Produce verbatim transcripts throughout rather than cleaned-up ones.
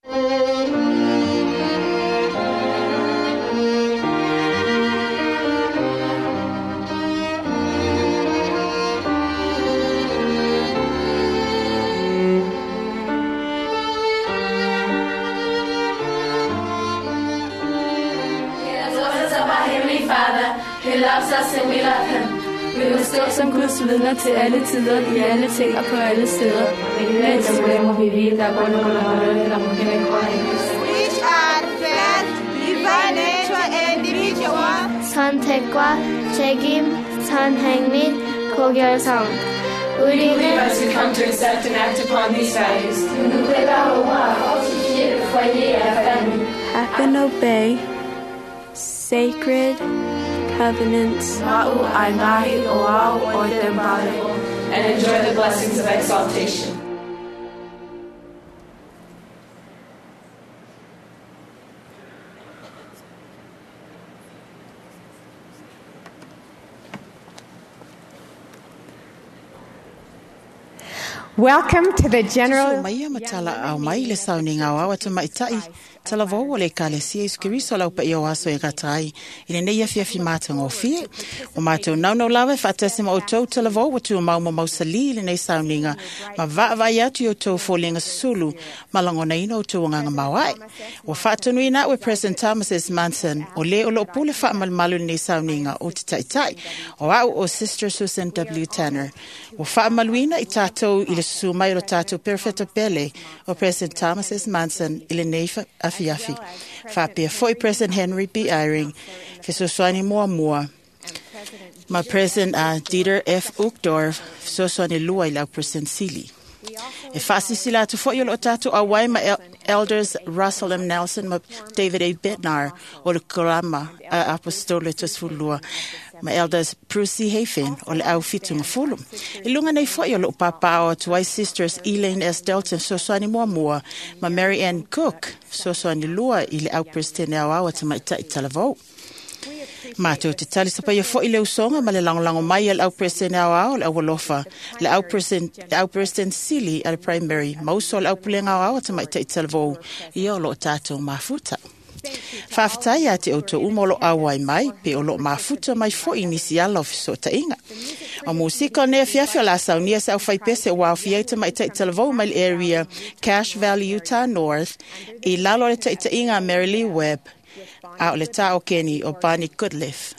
Who loves us and we love him. Vi vil stå som Guds vidner til alle tider, i alle ting og på alle steder. Which are faith, divine nature and individual. 선택과 책임, 선행 및 고결성. 우리는 As we come to accept and act upon these values. Nous nous préparerons à fortifier le foyer et la famille. Happen obey sacred covenants. And enjoy the blessings of exaltation. Welcome to the General So mai ia matala au mai le sauniga o ao tamaitai talavou o le ekalesia Iesu Keriso lau paia o aso e gata ai i lenei afiafi matagofie. O matou naunau lava e faatasi ma outou talavou ua tumau ma mausalī i lenei sauniga ma vaavaai atu i outou foliga susulu ma lagonaina outou agaga maoae. Ua faatonuina a'u e President Thomas S. Monson o lē o loo pule faamalumalu i lenei sauniga o te taʻitaʻi o a'u o Sister Susan W. Tanner. Ua faamaluina i tatou i le susu mai o lo tatou perofeta pele o President Thomas S. Monson i lenei afiafi. Faapea foi President Henry B. Eyring, fesoasoani muamua ma President uh, Dieter F. Uchtdorf, fesoasoani lua i lau President Sili. E faasilasila atu foi o loo tatou auai ma el Elders Russell M. Nelson ma David A. Bednar o le Korama a Apostolo Tosefululua ma Elders Bruce Hafen o le au fitugafulu. I luga nei foi o loo papaaao atu ai Sisters Elaine S. Delton fesoasoani muamua ma Mary Ann Cook fesoasoani lua i le au Presidente aoao a tamaitai talavou. Matou te talisapaia foi le usoga ma le lagolago mai a le au President aoao le aualofa, le au President, le au President Sili a le Primary, ma uso o le aupulega aoao a tamaitai talavou, ia o loo tatou mafuta. Faafetai ia te outou uma o loo auai mai, pe o loo mafuta mai foi nisi ala o fesootaiga. O musika o nei afiafi o le a saunia se aufaipese ua aofia ai tamaitai talavou mai le area Cache Valley, Utah North, i lalo o le taʻitaʻiga a Mary Lee Webb, a o le tā o Kenny o Barney Goodliff.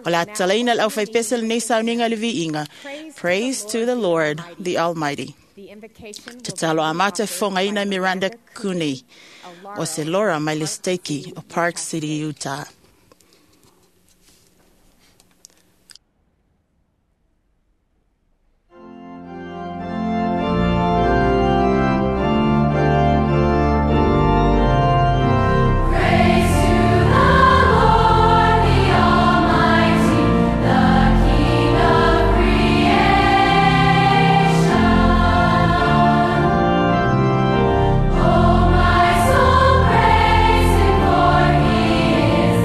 O le atalaina le aufaipese lenei sauniga le viiga. Praise to the Lord, the Almighty. Tatalo a mata fofogaina Miranda Cooney o se Laura mai le Steiki o Park City, Utah. Praise to the Lord, the Almighty, the King of creation. Oh, my soul, praise Him, for He is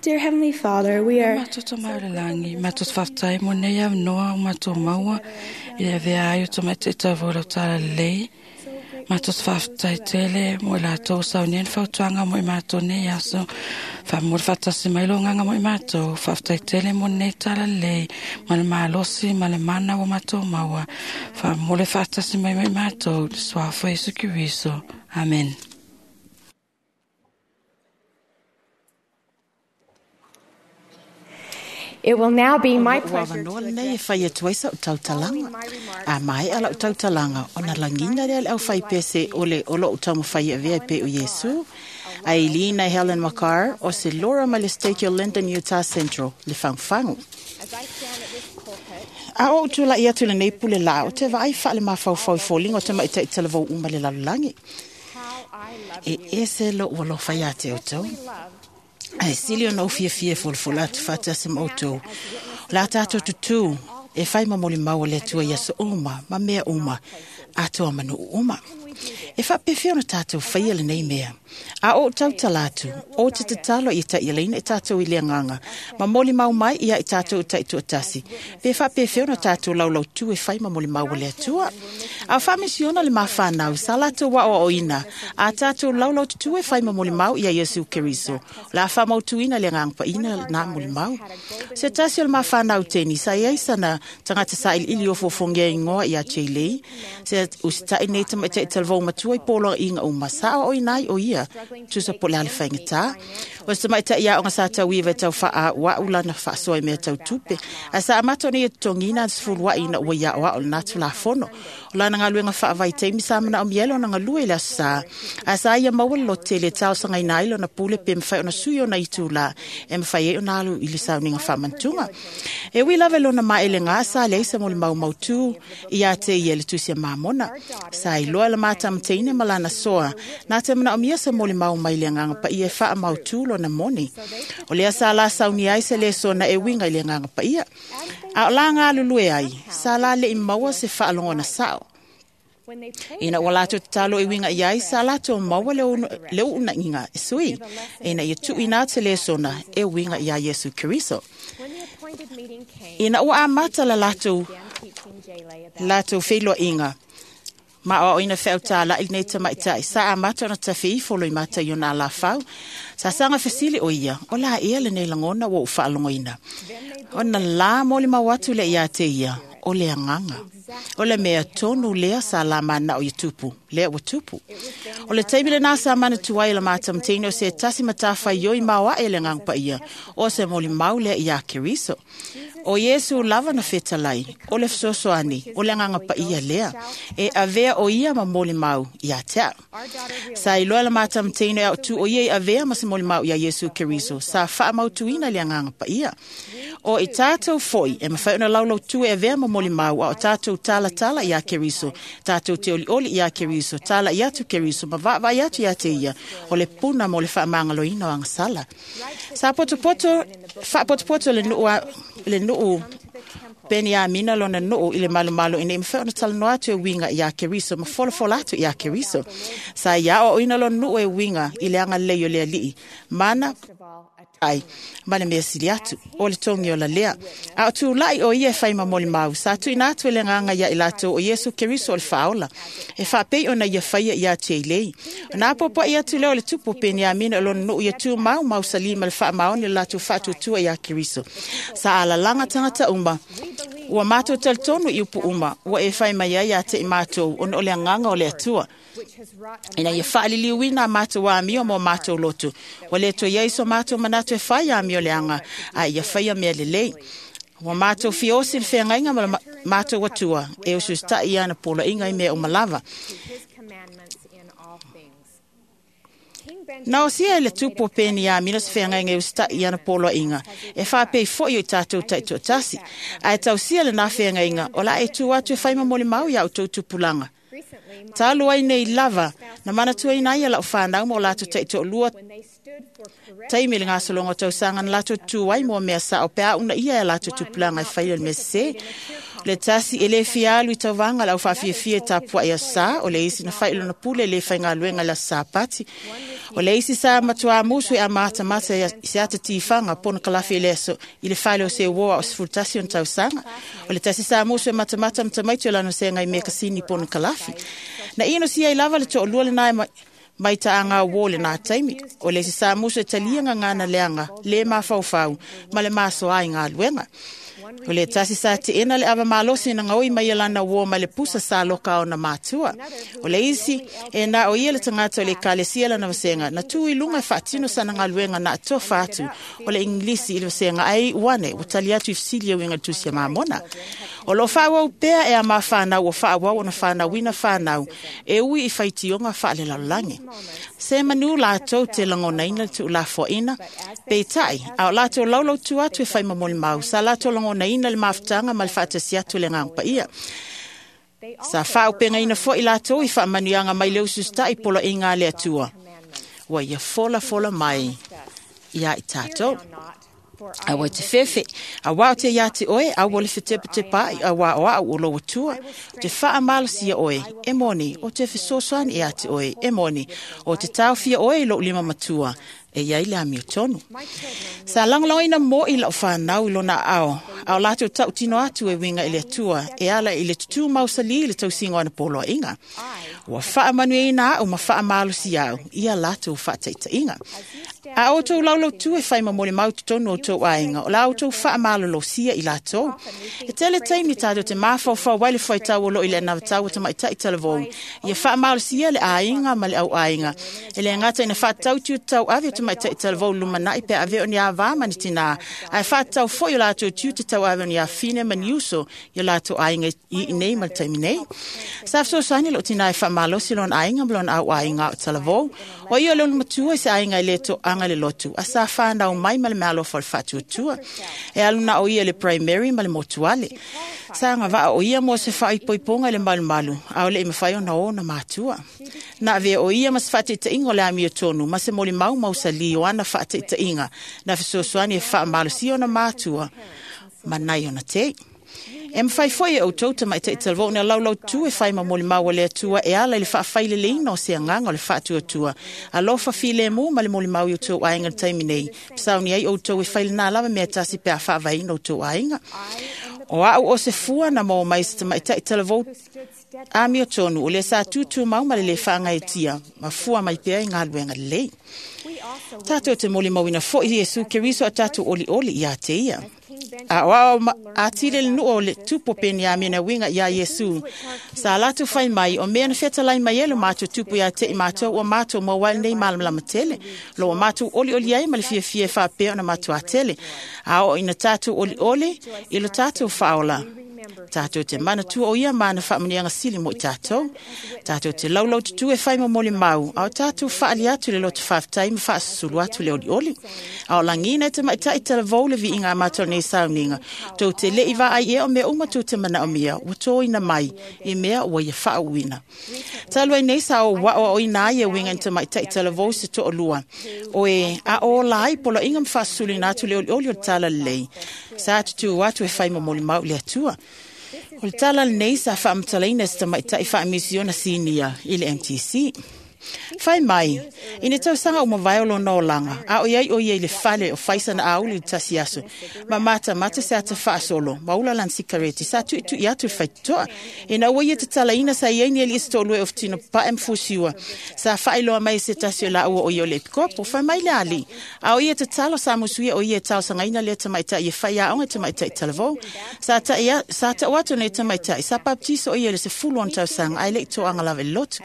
Dear Heavenly Father, we are Matou mai o le lagi, matou faafetai mo nei avanoa o matou maua i le avea ai o tamaiti talavou i lau talalelei. Matou faafetai tele mo i latou saunia ni fautuaga mo i matou nei aso. Faamomoli faatasi mai lo agaga mo i matou. Faafetai tele mo lenei talalelei ma le malosi ma le mana ua matou maua. Faamomoli faatasi mai mo i matou, le suafa o Iesu Keriso. Amen. It will now be my Ua pleasure avanoa to lenei e address fai atu ai sa'u tautalaga. A maea la'u tautalaga, ona lagina lea le aufaipese o le o lo'u taumafai e avea e pei o Iesu. Ailina Helen Makar o se Laura mai le Stake o Linden, Utah Central, le fagufagu. as I stand at this pulpit. A ou tula'i atu i lenei pule lā o te vaai fa'alemafaufau i foliga o tamaʻitaʻi talavou uma le lalolagi. How I love E you. ese lo'u alofa iā te outou. Love Ae sili ona ou fiafia e folafola atu faatasi ma outou. O le a tatou tutū e fai ma molimau o le Atua i aso uma ma mea uma, atoa manuu uma. E faapefea ona tatou faia lenei mea. A ou tautala atu, o te tatalo ia taʻialaina i tatou i le agaga, ma molimau mai ia i tatou taʻitoatasi. Pe faapefea ona tatou laulautu e fai ma molimau o le Atua. A o faamisiona le mafanau sa latou aʻoaʻoina, a tatou laulaututū e fai ma molimau ia Iesu Keriso. O le a faamautuina le agaga paʻina na molimau. Se tasi o le mafanau teni, sa iai sana tagata saʻiliʻili ofofogia igoa ia Jay Se usitaʻi nei tamaʻitaʻi talavou matua i poloaʻiga uma sa aoaoina ai o ia tusa po le a le faigatā. O se tamaʻitaʻi aoga sa tauiva e tau faaauau lana faasoa i mea tau tupe. Ae sa amata ona ia totogiina ana sefuluaʻi ina ua ia aoao lena tulafono. O lana galuega faavaitaimi sa manaomia ai lona galue i le aso sā. Ae sa ia maua le lototele e talosagaina ai lona pule pe mafai ona sui ona itulā e mafai ai ona alu i le sauniga faamanatuga. E ui lava i lona maelegā sa leai se molimau mautū iā te ia le tusi a Mamona. Sa iloa le matamateina ma lana soa na te manaomia se molimau mai le agaga paia e faamautū lona moni. O lea sa la saunia ai se lesona e uiga i le agaga paia. A o la galulue ai, sa la leʻi maua se faalogona sao. When they prayed Ina ua latou tatalo e uiga i ai, sa latou maua le unu- le uunaʻiga e sui. Ina ia tuuina atu se lesona e uiga iā Iesu Keriso. when the appointed meeting came, Ina ua amata le latou began teaching Jaylee about latou feiloaiga ma aoaoina feautalaʻi lenei tamaʻitaʻi sa amata ona tafeifolo i mata i ona alafau. Sa saga fesili o ia, o la ea lenei lagona ua ou faalogoina. Ona la molimau atu lea iā te ia, o le agaga. O le mea tonu lea sa la manao ia tupu, lea ua tupu. O le taimi lenā sa manatu ai la matamateina o se tasi matafaioi maoaʻe le agaga paia, o se molimau lea iā Keriso. O Iesu lava na fetalai, o le fesoasoani, o le agaga paia lea, e avea o ia ma molimau iā te au. Sa iloa le matamateina e aotū o ia i avea ma se molimau iā Iesu Keriso, sa faamautuina le agaga paia. O i tatou foi, e mafai ona laulautu e avea ma molimau, a o tatou talatala iā Keriso, tatou te olioli iā Keriso, tala i atu Keriso, ma vaavaai atu iā te ia, o le puna mo le faamagaloina o agasala. Sa potopoto, faapotopoto le nuu a- le nuu Peni Amina lona nuu i le malomalo ina ia mafai ona talanoa atu e uiga iā Keriso ma folafola atu iā Keriso. Sa ia aoaoina lona nuu e uiga i le agalelei o le Alii, mana ai ma le mea sili atu o le togi o lalea. A o tulaʻi o ia e fai ma molimau, sa tuuina atu e le agaga iā i latou o Iesu Keriso o le faaola, e faapei ona ia faia iā Teilei. Ona apoapoaʻi atu lea o le tupu o Peniamina o lona nuu ia tumau mausalī ma le faamaoni o le latou faatuatua iā Keriso. Sa alalaga tagata uma, ua matou talitonu i upu uma, ua e fai mai ai iā te i matou ona o le agaga o le Atua. which has wrought a Ina ia faaliliuina a matou amio mo matou loto. Ua le toe iai so matou manatu e fai amio leaga, a ia faia mea lelei. Ua matou fiosi le feagaiga ma le ma- matou Atua, e ususitaʻi ia ana poloaiga i mea uma lava. to his commandments in all things. King Benjamin Na osia e le tupu o Peniamina se feagaiga e usitaʻi i ana poloaiga, e faapei foʻi o i tatou taʻitoatasi. Ae tausia lenā feagaiga, o la e tu atu e fai ma molimau iā outou tupulaga. recently my Talu ai nei lava, na manatuaina ai e lau fanau ma o latou taʻitoalua when they stood for correct taimi le gasologa o tausaga na latou tu ai mo mea sao pe a una ia e latou tupulaga e faia le mea sesē. Le tasi e le fia alu i tauvaga le aufaafia e tapuaʻi asā. O le isi na fai lona pule le faigaluega i le aso Sapati. O le isi sa matuā musu e amatamata i se ata tifaga pona kalafi i le aso i le fale o se uoa o sefulutasi ona tausaga. O le tasi sa musu e matamata ma tamaiti o lana sega i mekasini pona kalafi. Na ino sia i lava le toʻalua lenā e mai taʻaga uō lenā taimi. O le isi sa musu e talia gagana leaga lē mafaufau ma le masoa i galuega. O le tasi sa teʻena le ava malosi na gaoi mai lana uō ma le pusa sa loka ona matua. O le isi e na o ia le tagata o le ekalesia lana vasega na tu i luga e faatino sana galuega na atofa atu o le Igilisi i le vasega ai uane ua tali atu i fesili e uiga le tusi a Mamona. O loo faaauau pea e a mafanau ua faaauau ona fanauina fanau e ui i faitioga faalelalolagi. Se manu latou te lagonaina le tuulafoaina peitai a o latou laulautu atu e faimamolimau sa latou lagonaina le mafutaga ma le faatasi atu le agaga paia. Sa faaupegaina foʻi latou i faamanuiaga mai le ususitaʻi poloaiga a le Atua ua ia folafola mai iā i tatou. Aua te fefe, auā o te iā te oe, aua le fetepatepaʻi, auā o aʻu o lou Atua. O te faamalosia oe, e moni, o te fesoasoani iā te oe, e moni, o te taofia oe i lou lima matua, e iai le amiotonu. Sa lagolagoina moʻi lau fanau i lona aao, a o latou tautino atu e uiga i le Atua, e ala i le tutū mausalī i le tausiga o ana poloaiga. Ua faamanuiaina aʻu ma faamalosi au ia latou faataʻitaʻiga. A outou laulautu e fai mamolimau totonu o tou aiga, o la outou faamalolosia i latou. E tele taimi tatou te mafaufau ai le fuaitau o loo i le anavatau o tamaitaʻi talavou. Ia faamalosia le aiga ma le auaiga. E le gata ina faatatau tiute tauave o tamaitaʻi talavou lumanaʻi pe ave o ni avā ma ni tinā. Ae faatatau foʻi o latou tiute tauave o ni afine ma ni uso i o latou aiga i nei ma le taimi nei. Sa fesoasoani lou tinā e faamalosi lona aiga ma lona auaiga o talavou. O ia o le matua i se aiga e le toaga le lotu. A sa whanau mai ma le mealofa o le faatuatua. E aluna o ia le primary ma le motuale. Sa ngavaa o ia mo se faaipoipoga i le malumalu, a o le i mawhai ona o na matua. Na avea o ia ma se faataitaiga o le amiotonu, ma se molimau mausali o ana faataitaiga, na fesoasoani e faamalosia ona matua, ma nai ona tei. E mawhai foi e outou tamaitaʻi talavou na laulautu e fai mamolimau o le Atua e ala i le faafaileleina o se agaga o le faatuatua. Alofa filemu ma le molimau i outou aiga le taimi nei. Pesauni ai outou e fai lenā lava mea tasi pe a faavaeina outou aiga. O aʻu o se fua na maua mai se tamaitaʻi talavou amiotonu o le sa tūtū mau ma le lē faagaetia ma fua mai pea i galuega lelei. Tatou te molimauina foʻi Iesu Keriso a tatou olioli iā te ia. A o ao atile le nuu o le tupu o Peniamina uiga iā Iesu. Sa latou fai mai o mea na fetalai mai e lo matou tupu iā teʻi matou ua matou maua ai lenei malamalama tele. Lo ua matou olioli ai ma le fiafia e faapea ona matou atele. A oo ina tatou olioli i lo tatou faaola. Tatou te manatua o ia ma ana faamanuiaga sili mo i tatou. Tatou te laulaututu e fai mamolimau, a o tatou faali atu le loto faafetai ma faasusulu atu le olioli. A o lagina e tamaitaʻi talavou le viiga a matou nei sauniga. Tou te leʻi vaai ea o mea uma tou te manaomia, ua tōina mai i mea ua ia faauuina. Talu ai nei sa ou aʻoaʻoina ai e uiga i tamaitaʻi talavou se toʻalua. O e a o la ai poloaiga ma faasusuluina atu le olioli o le tala lelei. Sa tutū atu e fai mamolimau i le Atua. O le tala lenei sa faamatalaina se tamaitaʻi faamisiona sinia i le M T C. Fai mai, ina tausaga uma vae o lona olaga, a o iai o ia i le fale o faisana auli i le tasi aso, ma matamata se ata faasolo, ma ula lana sikareti, sa tuitui atu i le faitotoa. Ina ua ia tatalaina sa iai ni alii se toʻalua e ofutino papae ma fusiua, sa faailoa mai se tasi o laua o ia o le epikopo, fai mai le alii. A o ia tatalo sa musuia o ia e talosagaina lea tamaitaʻi e fai aoga i tamaitaʻi talavou. Sa taʻu atu nei tamaitaʻi, sa baptiso o ia i le sefulu ona tausaga, ae leʻi toaga lava i le lotu.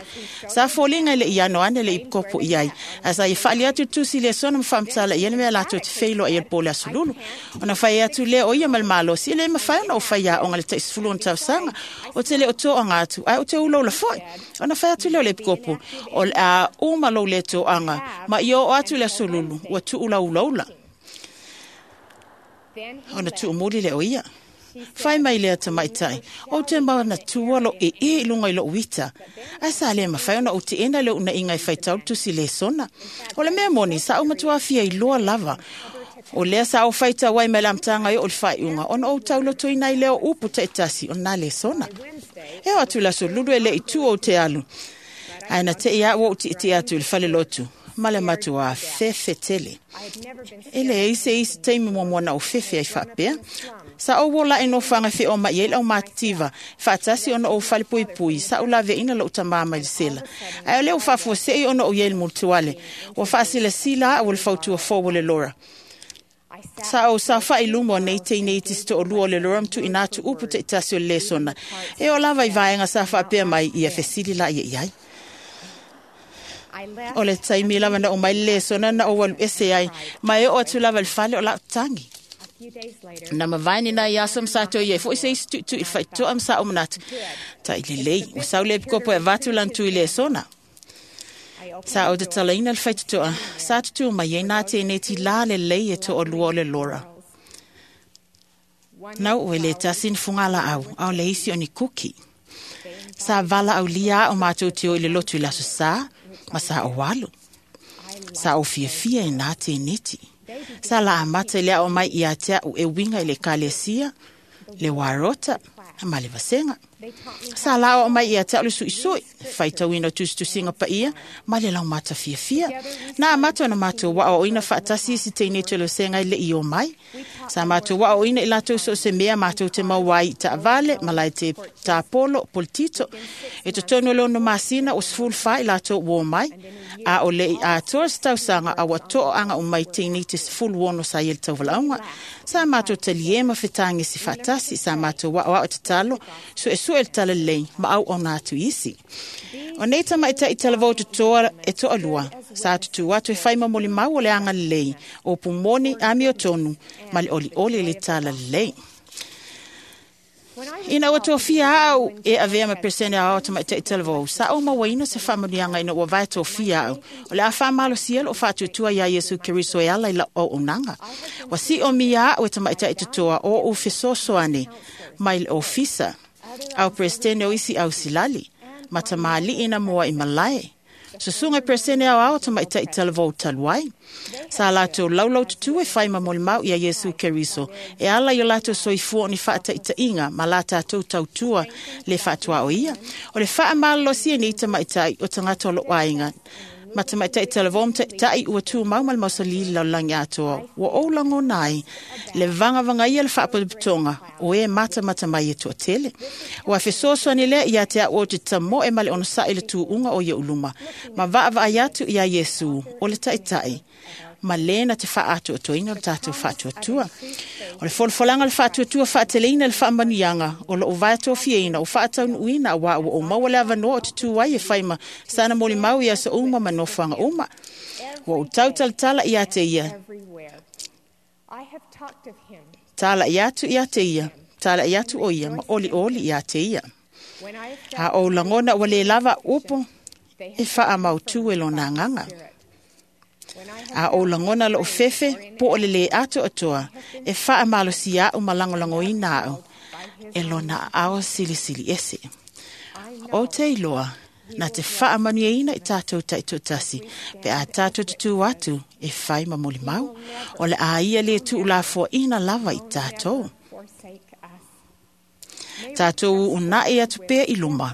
Sa foliga i le iano ane le ipikopo i ai. A sa i faali atu tusi le sona ma faamatala i ele mea latou te feiloa i ele po le asolulu. Ona fai atu lea o ia ma le malosi, e le mafai ona o fai aoga le taʻi sefulu ona tausaga, o te le o toaga atu, ae o te ulaula foʻi. Ona fai atu lea o le epikopo, o le a uma lou le toaga, ma i oo atu le asolulu, ua tuulaulaula. Ona tuumuli le o ia. Fai mai lea tamaitaʻi, o te manatua lo e e i luga i lou ita. Ae sa le mafai ona ou teʻena le uunaiga e faitau le tusi lesona. O le mea moni, sa ou matuā fia iloa lava. O lea sa o faita wai me lamtanga i o le whaiunga, ona o tauloto ina i leo upu te tasi o nā le sona. E o atu laso lulu e le i tu o te alu. Aina te ia o ti ti atu i le fale lotu. Male matua fefe tele. E le eise isi teimi mua mua na o fefe ai whaapea. Sa o wola e no whanga whi o mai e lau mātitiva. Whaatasi ona o whale pui pui. Sa o lave ina lo utamama i sela. Ai o leo whafua se i ona o iel multuale. O whaasila sila a o le fautua fō le lora. Sa o sa whai lumo nei te nei te sto o lua le lora mtu ina tu upu te itasi o le sona. E o lava i vaenga sa whaapea mai ia fesili la ia iai. O le taimi lava na o mai le sona na o walu ese ai. Mai o atu lava le fale o lau tangi. Na mavaini na ia sam sa to ia foi se tu tu i whaitoa am sa o manatu. Ta i le lei. O sau le pikopo e vatu lan tu i le sona. Sa o te talaina le whaitoa. Sa tutu mai e nā tēnei ti la le lei e to o lua o le lora. Nau o le tasin fungala au, au le isi o ni kuki. Sa vala au lia o mātou te o i le lotu i laso sa, ma sa o walu. Sa o fiafia e nā tēneti. Sa la amata i lea o mai ia te au e winga i le kalesia, le warota, ma le vasenga. Sa la o mai ia te au le suisui, whaitauina tustusinga pa ia, ma le lau mata fiafia. Nā amata na mātou wa o ina whaatasi si teine te losenga i le i o mai. Sa mātou wa o ina i lātou so se mea mātou te mauai ta avale, malai te tāpolo, politito. E te tono lono masina o sful wha i lātou wo mai. A o le i atoa se tausanga a watoa anga o mai teine te sful wono sa i el tauvalaunga. Sa mātou te liema whitangi si whaatasi, sa mātou wa o au te talo, so e su el tala lei, ma au o nā tu isi. O nei tama i ta i talavau te toa e toa lua, sa atu atu e whaima moli mau o le anga lei, o pumoni ami o tonu, ma le oli oli le tala lei. Ina ua tōfia au e avea ma persene a o tama i te talavau, sa o mawaina se whaamanianga ina ua vai tōfia au, o le a whaamalo sielo o whaatutua ia Yesu Keriso e ala i la o unanga. Wa si o mia au e tama i te toa o u fesosoane mai le ofisa. Au presidente o isi au silali, matamali ina mua i malae. Susunga presidente au au tama i te talavou taluai. Sa lato laulau tutu e whai mamoli mau ia Yesu Keriso. E ala i o lato soifua ni whaata ita inga, ma la tātou tautua le whaatua o ia. O le wha amalo si ni tama i tai o tangata o lo ainga. Mata mai tai talavou tai ua tū mau mal mausali lau langi atoa. Ua o lango nai, le vanga vanga ia le whaapaputonga, o e mata mata mai e tua tele. Ua fesoasoani lea ia te au o te tamo e male ono sa i le tūunga o ia uluma. Ma vaa vaa iatu ia Yesu, o le taitai. Ma lena te whaatu atoina o le tātou whaatuatua. O le folafolanga le whaatuatua whaateleina le whaamanianga, o lo o vaetōfiaina, o whaataunuina, wa o o maua le avanoa o te tūai e whaima, sana moli mau ia sa uma manofanga uma. Wa o tautal tala ia te ia. Tala ia atu ia te ia, tala ia atu o ia, ma oli oli ia te ia. A o langona wa le lava upo, e wha mautu e lona nganga. A o langona lo fefe po o le le ato atoa e wha amalo si au malangolango ina au e lona ao silisili ese. O te iloa na te wha amanu ina i tātou taitotasi pe a tātou tutu atu e whai mamoli mau o le a ia le tuulafua ina lava i tātou. Tātou unai atu pea i luma.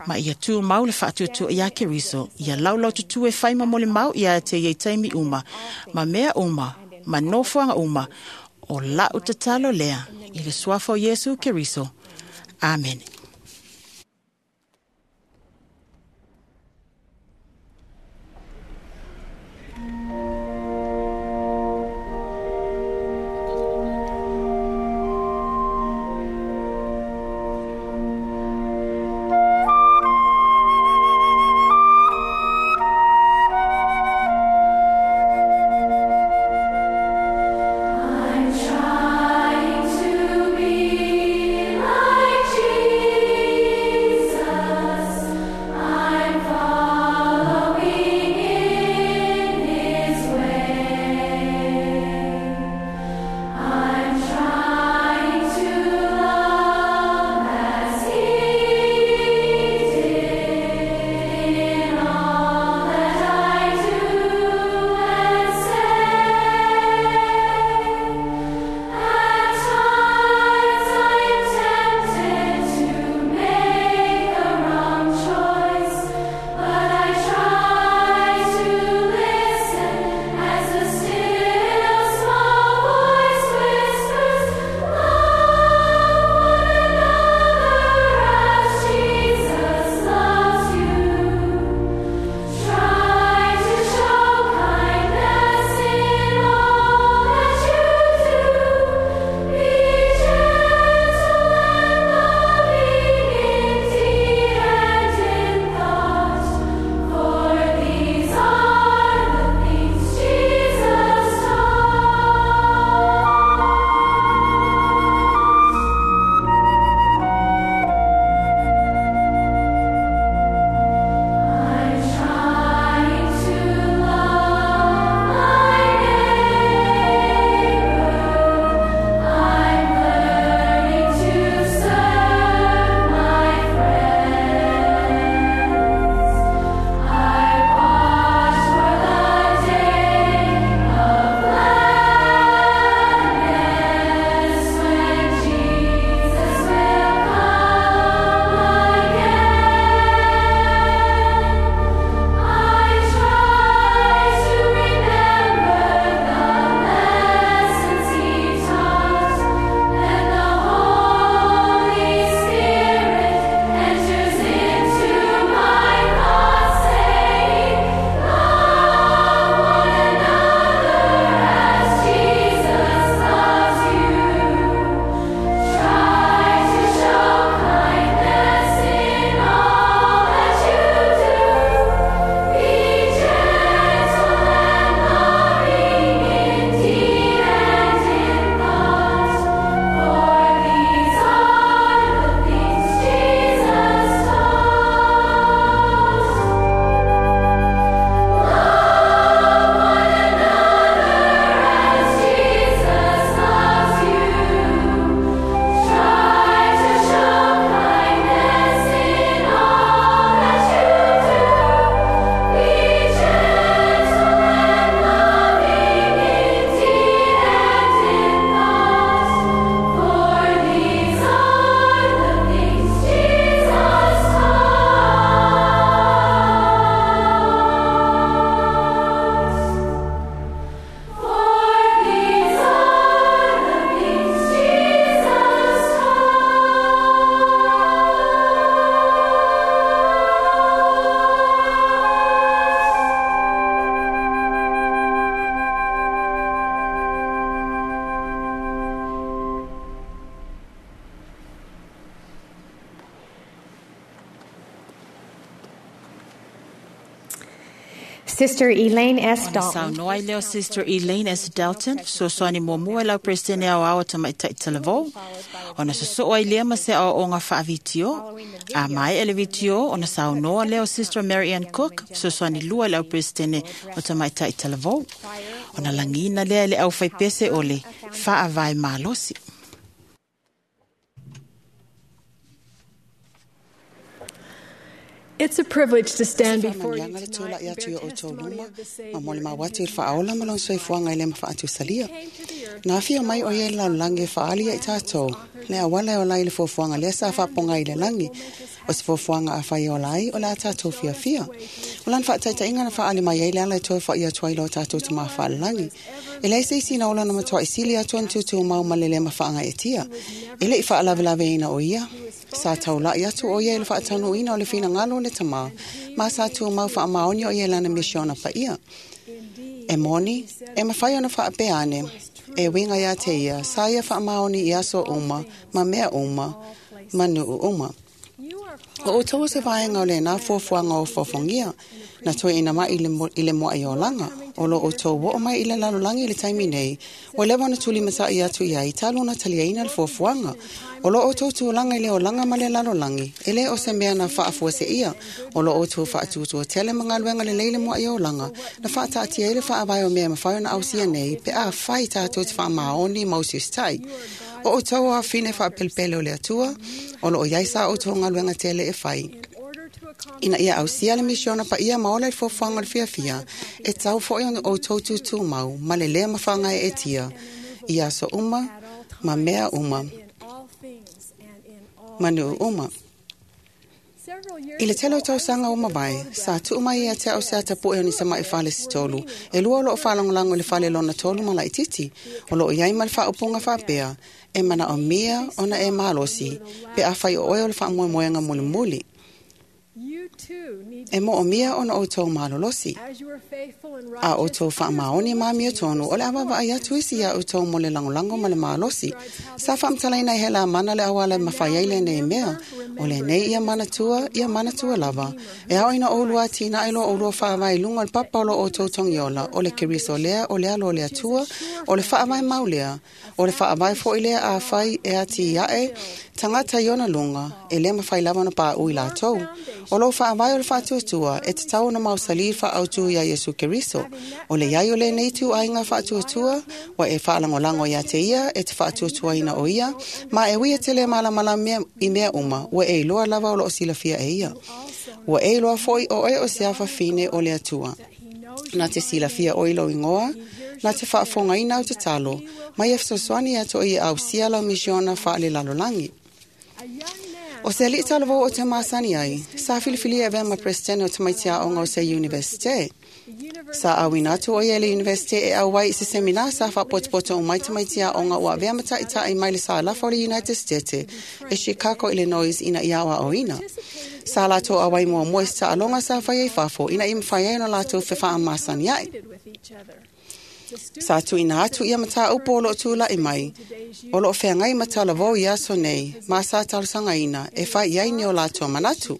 Ma ia tū mau le whaatuatua ia Keriso, ia laulau tutu e whaima mole mau ia te iei taimi uma, ma mea uma, ma nofuanga uma, o lau tatalo lea, i le suafa o Yesu Keriso. Amen. I'm trying to be like Jesus. Sister Elaine S. Ona Dalton. saunoa ai lea o Sister Elaine S. Dalton, fesoasoani muamua i lau Peresetene aoao o Tamaitai Talavou. Ona sosoo ai lea ma se aoaoga faavitio. A maea le vitio, ona saunoa lea o Sister Mary Ann Cook, fesoasoani lua i lau Peresetene o Tamaitai Talavou. Ona lagiina lea e le aufaipese o le faavae malosi. It's a privilege to stand before you Faamanuiaga le tonight tula'i and atu bear i o outou testimony luma of the ma Savior mo le and mauatu i le his faaola ma lona soifuaga i le mafa'atusalia. Na afio mai o ia i le lalolagi e fa'aali ia i tatou le auala e ola ai le fuafuaga lea sa fa'apogai i le lagi o se fuafuaga afai e ola ai o le a tatou fiafia. O lana fa'ataita'iga na fa'aali mai ai le ala e toe fo'i atu ai lo tatou tamā fa'alelagi. E leai se isi na ola na matua'i sili atu ona tūtūmau ma le lē mafa'agae'etia. E le'i fa'alavelaveina o ia. Sa taula'i atu o ia i le fa'ataunu'uina o le finagalo o le tamā, ma sa tumau fa'amaoni o ia i lana misiona pa'ia. E moni, e mafai ona fa'apea ane, e uiga iā te ia, sa ia fa'amaoni i aso uma, ma mea uma, ma nu'u uma. O outou o se vaega o lenā fuafuaga o fofogia, na toeʻina mai i le mo- i le moaʻi olaga, o lo outou o'o mai i le lalolagi i le taimi nei, ua leva ona tulimataʻi atu iai talu ona taliaina le fuafuaga. O lo outou tulaga i le olaga ma le lalolagi, e lē o se mea na faafuaseʻia, o lo outou faatuatua tele ma galuega lelei le moaʻi olaga, na faataatia ai le faavae o mea e mafai ona ausia nei, pe afai tatou te faamaoni ma usiusitaʻi. O outou o afine faapelepele o le Atua, o loo iai sa outou galuega tele e fai. Ina ia ausia le misiona paia ma ola i le fuafuaga o le fiafia, e tau fo'i ona outou tutūmau ma le lē mafagae'etia, i aso uma, ma mea uma, ma nu'u uma. I le tele o tausaga ua mavae, sa tu'u mai ia te a'u se atapu'e o ni sama'i fale se tolu, e lua o lo'o faalagolago i le fale lona tolu ma la'itiiti, o lo'o iai ma le fa'aupuga fa'apea, e mana'omia ona e malosi, pe afai o oe o le fa'amoemoega mulimuli. You too need E mo'omia ona outou malolosi. as you are faithful and A righteous, outou fa'amaoni ma amiotonu o le avavaai atu isi iā outou mo le lagolago ma le malosi. Sa fa'amatalaina i he la mana le auala e mafai ai lenei mea, o lenei ia manatua, ia manatua lava. E ao ina oulua atinaʻe lo oulua fa'avae i luga o le papa o lo outou togiola, o le Keriso lea, o le alo o le Atua, o le fa'avae mau lea, o le fa'avae fo'i lea afai e ati a'e, tagata i ona luga, e lē mafai lava ona pā'u i latou. O lou fa'avae o le fa'atuatua, e tatau ona mausalī le fa'autū iā Iesu Keriso. O le iai o lenei tu'aiga fa'atuatua, ua e fa'alagolago iā te ia e te fa'atuatuaina o ia, ma e uia tele malamalama i mea uma, ua e iloa lava o lo'o silafia e ia. Ua e iloa fo'i o oe o se afafine o le Atua. Na te silafia o i lou igoa, na te fa'afogaina au tatalo, ma ia fesoasoani ia to'i e ausia lau misiona fa'alelalolagi. O se ali'i talavou o te masani ai, sa filifilia e avea ma Peresetene o tamaiti a'oga o se Universite. Sa auina atu o ia i le Universite e auai i se semina sa fa'apotopoto umai tamaiti a'oga ua avea ma ta'ita'i mai le sa lafa o le United States e Chicago, Illinois ina ia aoa'oina. Sa latou auai muamua i se ta'aloga sa fai ai fafo ina ia mafai ai ona latou fefa'amasani a'i. with each other. Sa tu'uina atu ia matāupu o lo'o tula'i mai, o lo'o feagai ma talavou i aso nei, ma sa talosagaina e fai i ai ni o latou manatu.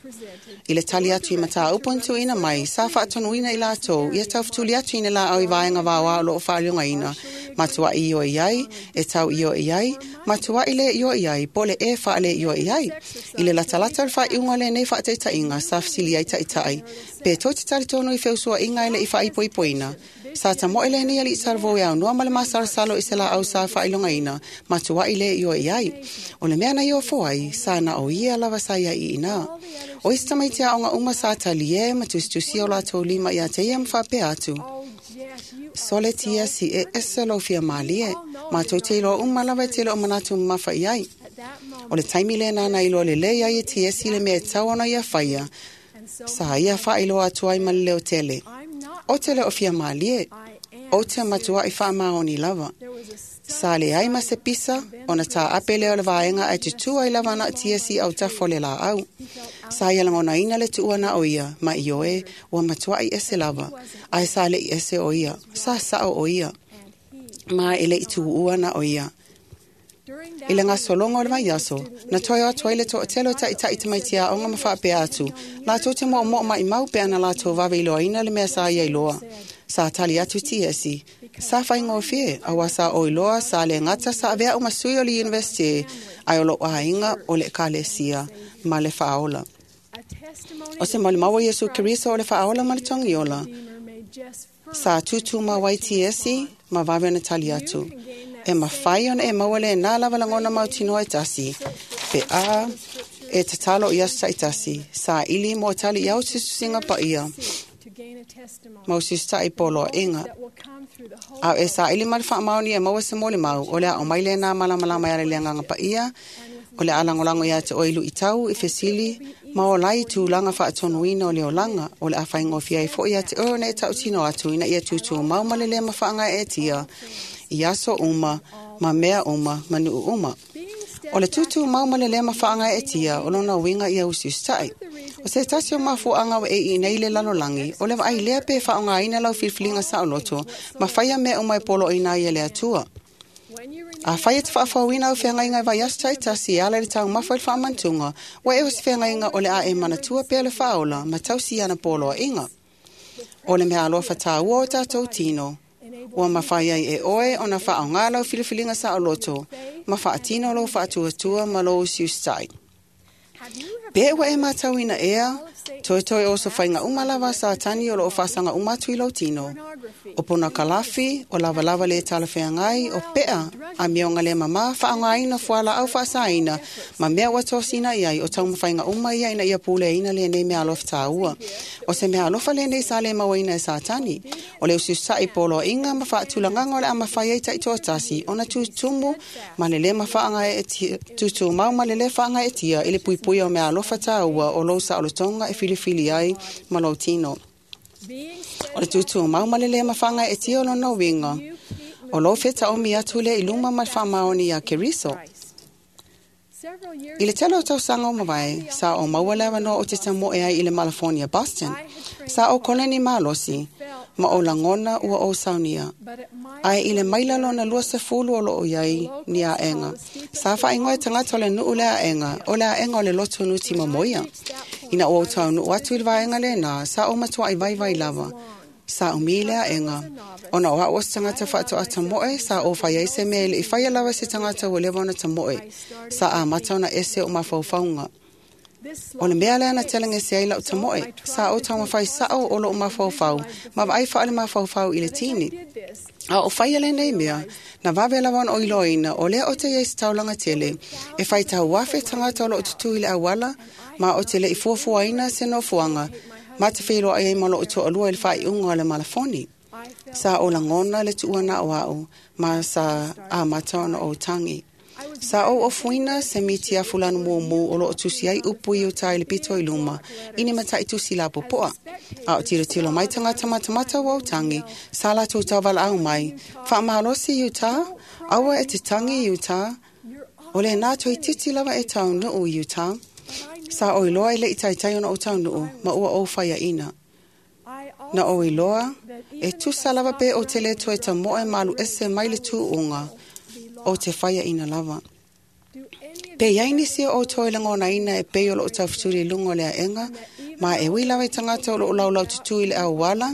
I le tali atu i matāupu na tu'uina mai, sa fa'atonuina i latou, ia taufetuli atu i ni la'au i vaega vaoa o lo'o fa'aliogaina, matua'i ioe i ai, e tau ioe i ai, matua'i lē ioe i ai, po o le ē fa'alē ioe i ai. I le latalata o le fa'aiuga o lenei fa'ataita'iga, sa fesili ai ta'ita'i, pe tou te talitonu i feusua'iga e le'i fa'aipoipoina. Sa tamo'e lenei ali'i talavou e aunoa ma le masalosalo i se la'au sa fa'ailogaina, matua'i lē ioe i ai. O le mea na i ofo ai, sa na o ia lava sa ia i inā. O isi tamaiti a'oga uma sa taliē ma tusitusia o latou lima iā te ia ma fa'apea atu. Sole tia si e ese lou fia mālie, matou te iloa uma lava e tele o manatu mamafa i ai. O le taimi lena na iloa lelei ai e Tiesi le mea e tau ona ia faia, sa ia fa'ailoa atu ai ma le leo tele. O te le o fia mālie, o te matua'i fa'amaoni lava. Sa leai ma se pisa, ona tā'ape lea o le vaega ae tutū ai lava na'a Tiesi autafa o le lā'au. Sa ia lagonaina le tu'ua na o ia, ma ioe, ua matua'i ese lava, ae sa le'i ese o ia, sa sa'o o ia, ma e le'i tu'u'ua na o ia. I le gasologa o le vaiaso, na toe o atu ai le toʻatele o taʻitaʻi tamaiti aoga ma faapea atu, latou te moʻomoʻo maʻimau pe ana latou vave iloaina le mea sa ia iloa. Sa tali atu Tiesi, sa faigofie, auā sa o iloa sa le gata sa aveaʻu ma sui o le university, ae o loʻu aiga o le ʻekalesia ma le faaola. O se molimau o Iesu Keriso o le faaola ma le togiola. Sa tutumau ai Tiesi ma vave ona tali atu. E mafai ona e maua lenā lava lagona mautinoa e tasi. Pe a e tatalo i aso taʻitasi. Sa ili mo tali i au tusitusiga paia. Ma usiusitaʻi poloaʻiga. A e saʻili ma le faamaoni e maua se molimau, o le aʻo mai lenā malamalama e ala i le agaga paia, o le alagolago iā te oe i luʻitau, i fesili, ma o lai tulaga faatonuina o le olaga, o le a faigofie ai foʻi iā te oe ona e taʻutino atu ina ia tutumau ma le lē mafaagaeetia, i aso uma, ma mea uma, ma nuu uma. O le tutumau ma le lē mafaagaeetia, o lona uiga ia usiusitaʻi. O se tasi o mafuaʻaga ua e iʻi nei le lalolagi, o le vaai lea pe faaaogāina lau filifiliga saoloto, ma faia mea uma e poloʻoina ai e le Atua. A fai e te faafauina au feagaiga e vaiaso taʻitasi e ala i le taumafa i le faamanatuga, ua e o se feagaiga o le a e manatua pea le faaola ma tausi ana poloaʻiga. O le mea alofa tāua o tatou tino, ua mafai ai e oe ona faaogā lau filifiliga saoloto, ma faatino lou faatuatua ma lou usiusitaʻi. Pe ua e matauina ea, toetoe o so faiga uma lava a Satani o loo faasaga uma atu i lou tino. O ponakalafi, o lavalava le talafeagai, o peʻa, amioga le mamā faaaogāina fualaau faasaina, ma mea ua tosina i ai o taumafaiga uma ia ina ia puleaina lenei mea alofa tāua. O se mea alofa lenei sa le mauaina e Satani. O le usiusaʻi poloaʻiga ma faatulagaga o le a mafai ai taʻitoatasi ona tutumu ma le lē mafaagaeetia, tutumau ma le lē faagaeetia i le puipuia o mea alofa tāua o lou saolotoga e filifili ai ma lou tino. O le tutumau ma le lē mafaagaeetia o lona uiga, o lou fetaomi atu lea i luma ma le faamaoni iā Keriso. I le tele o tausaga o mavae, sa o maua le avanoa o te tamoe ai i le malafonia Boston. Sa o koleni malosi, ma o lagona ua o saunia. Ae i le maila lona lua sefulu o loo iai ni aega. Sa faaigoa e tagata o le nuu le aega, o le aega o le loto nuti momoia. Ina ua taunuʻu atu i le vaega lenā, sa o matuaʻi vaivai lava. Sa umi le aega. Ona o aʻu o se tagata faatoa tamoe, sa o fai ai se mea e leʻi faia lava se tagata ua leva ona tamoe. Sa amata ona ese o mafaufauga. O le mea lea na telagese ai lau tamoe, sa o taumafai saʻo o loo mafaufau, ma vaai faale mafaufau i le tini. A o faia lenei mea, na vave lava ona o iloaina, o lea o te iai se taulaga tele, e fai tauafe tagata o loo tutū i le auala, ma o te leʻi fuafuaina se nofoaga, ma te feiloai ai ma loo toʻalua i le faaiuga o le malafoni. Sa o lagona le tuuana o aʻu, ma sa amata ona ou tagi. Sa ou ofuina se miti a fulanu mumu o loo tusi ai upu i uta i le pito i luma, i ni mataʻi tusi lapopoa. A o tilotilo mai tagata matamata ua ou tagi, sa latou tauvalaau mai, faamalosi i utā, aua e te tagi i utā, o lenā toeitiiti lava e taunuu i utā. Sa o iloa i leʻi taitai ona ou taunuu, ma ua ou faiaʻina. Na ou iloa, e tusa lava pe o te le toe tamoe ma alu ese mai le tuuga, o te faiaʻina lava. Pe iai nisi o outou e lagonaina e pei o loo taufetuli i luga o le aega, ma e ui lava i tagata o loo laulau tutū i le auala,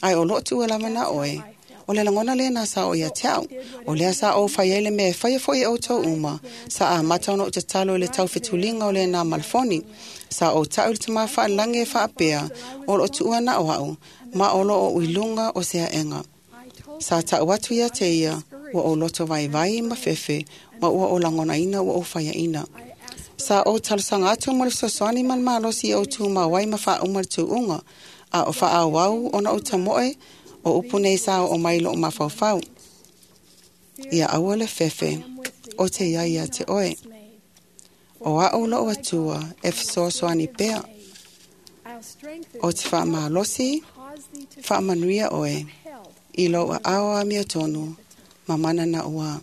ae o loo tuua lava na oe. O le lagona lenā sa o ia te au. O lea sa ou fai ai le mea e faia foʻi e outou uma. Sa amata ona ou tatalo i le taufetuliga o lenā malafoni. Sa ou taʻu i le tamā faalagi e faapea, o loo tuua na o aʻu, ma o loo ou i luga o se aega. Sa taʻu atu ia te ia, ua ou loto vaivai ma fefe, ma ua o lagonaina ua ou faiaʻina. Sa ou talosaga atu mo le fesoasoani ma le malosi i ou tumau ai ma faauma le tuuga, a o faaauau ona ou tamoe, o upu nei sa o mai loo mafaufau. Ia aua le fefe, o te iai ia te oe. O aʻu loo atua e fesoasoani pea. O te faamalosi, faamanuia oe, i lou aao amiotonu, ma mana na ua.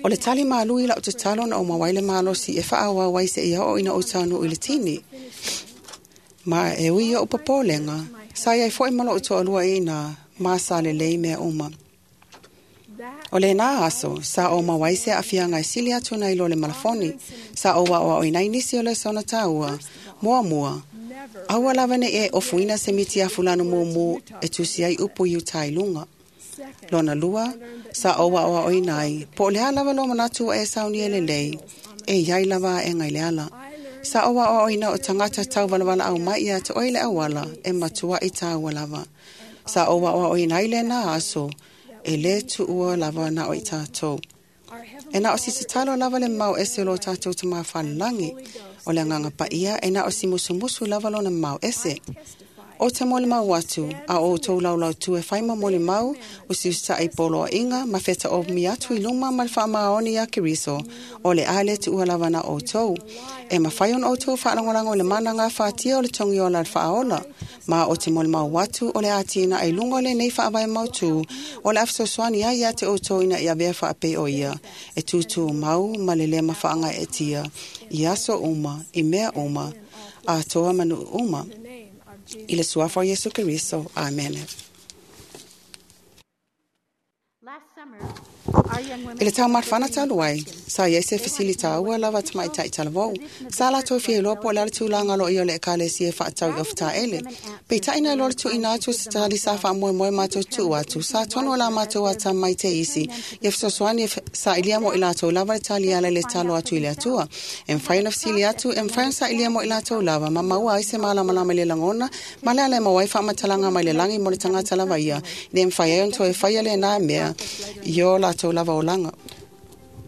O le tali malu i lau tatalo na o mauai le malosi e faaauau ai seia oo ina ou taunuu i le tini. Ma e ui oʻu popolega, sa iai foʻi ma loo toʻalua i ina, ma sa lelei mea uma. O le nā aso, sa o mawai se afianga e sili atu nei lo le malafoni, sa o wa o inai nisi o le sona tāua, mua mua. Aua lava ne e ofuina se miti a fulano mumu e tusi ai upu i utai lunga. Lona lua, sa o wa o inai, po le lava lo manatu e sauni e lelei, e iai lava e ngai le ala. Sa o wa o ina o tangata tau walawala au mai ia te oile awala e matua i tāua lava. Sa o wa o inai le nā aso, e le tuua lava na o i tātou. E na o si tatalo lava le mau ese lo tātou te mawhalangi, o le nganga paia e na o si musumusu lava lona mau ese. O te mole mau atu, a o tau laulau tu e whaima mole mau, o si usa i polo a inga, ma wheta o mi atu i luma ma le whaamaoni a Keriso, o le ale tu ua lava na o tau. E mawhai on o tau whaalangolango le mana ngā whaatia o le tongi o la whaaola, ma o te mole mau atu o le ātina ai lunga le nei whaawai mau tū, o le afsoswani ai ia te o tau ina ia vea whaapei o ia, e tūtū mau ma le lema whaanga e tia, i aso uma, i mea uma, a toa manu uma. I le suafa o Yesu Keriso. Amen. I le tau marwhana talu ai, sa ia se facilita ua lava tamai tai talavou. Sa la toi fia loa po le tūlanga lo ia le ekalesia e whaatau i ofta ele. Pe tai nei lore tu ina atu se tali sa wha moe moe mātou tu atu. Sa tono la mātou ata mai te isi. Ia whasoswani sa ilia mo i lātou lava le tali ala le talo atu i le atua. E mwhai na whasili atu, e mwhai sa ilia mo i lātou lava. Ma maua ai se malamalama le langona, ma le ale mawai whaamatalanga mai le langi mo le tangata lava ia. Ne mwhai ai onto e whai ale nā mea. Io lātou lava o langa.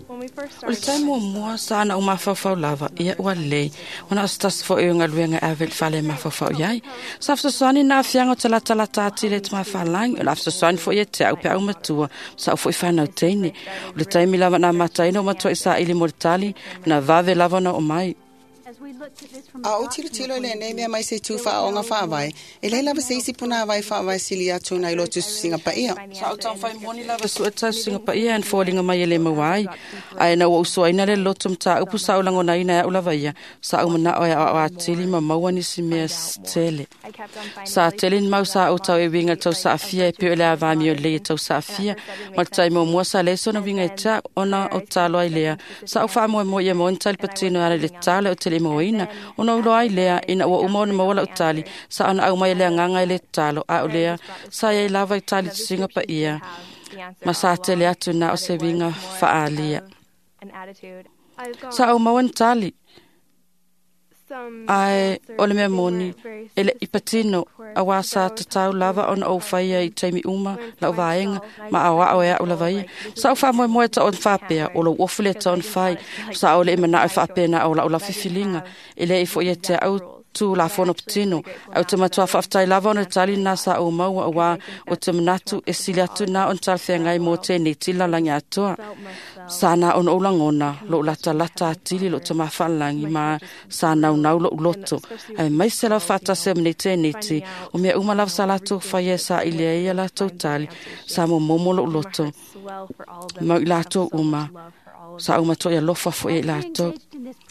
O le taimo mua sa na o mawhawhau lava, ia ua lei, ona o stas fo e unga luenga ave le fale mawhawhau iai. Sa afsoswani na afianga o te latalata ati le te mawhalangi, o le afsoswani fo ia te au pe au matua, sa o fo i whanau teine. O le taimi lava na mataina o matua i sa ili mo le tali, na vave lava na o mai. A o tilo tilo le nei mea mai se tū whaonga whaawai, e lei lava se isi puna awai whaawai sili atu nei lotu singa paia. Sa o tau whai moni lava sua tau singa paia an fōlinga mai e le mawai. Ai na ua usuaina le lotu mta upu sa ulango na ina au lava ia. Sa u mana o ia o atili ma maua nisi mea tele. Sa tele ni mau sa o tau e winga tau sa afia e peo le awami o le e tau sa afia. Ma le taimo mua sa leso na winga e ta ona o talo ai lea. Sa o wha moe moe ia mo ni patino ara le talo o te le moina. Ona ulo ai lea ina ua uma ona mawala o tali. Sa ona au mai lea nganga i le talo a o lea. Sa ia i lava i tali tusinga pa ia. Ma sa tele atu na o se winga whaalia. Sa au maua ni tali. Ai o le mea moni, e le ipatino, a wā sa te tau lava ona o whaia i teimi uma, lau vaenga, ma au ao e au lava ia. Sa o wha moe moe ta on whapea, o lo ofule ta on whai, sa o le imana au whapea na o lau la fifilinga, e le i fo ia te au tū la whono patino. Au te matua whaaftai lava ona tali nā sa o maua o wā o te manatu e sili atu nā on talwhea ngai mō tēnei tila langi atoa. Sa nā ona o langona, lo lata lata atili lo te mawhalangi ma sa nau nau lo uloto. Ai mai se lau whatase mne tēnei ti, o mea uma lava sa lātou whaia sa ilea ia lātou tali, sa mo momo lo uloto. Mau i lātou uma. Sa uma toi alofa fo e lātou.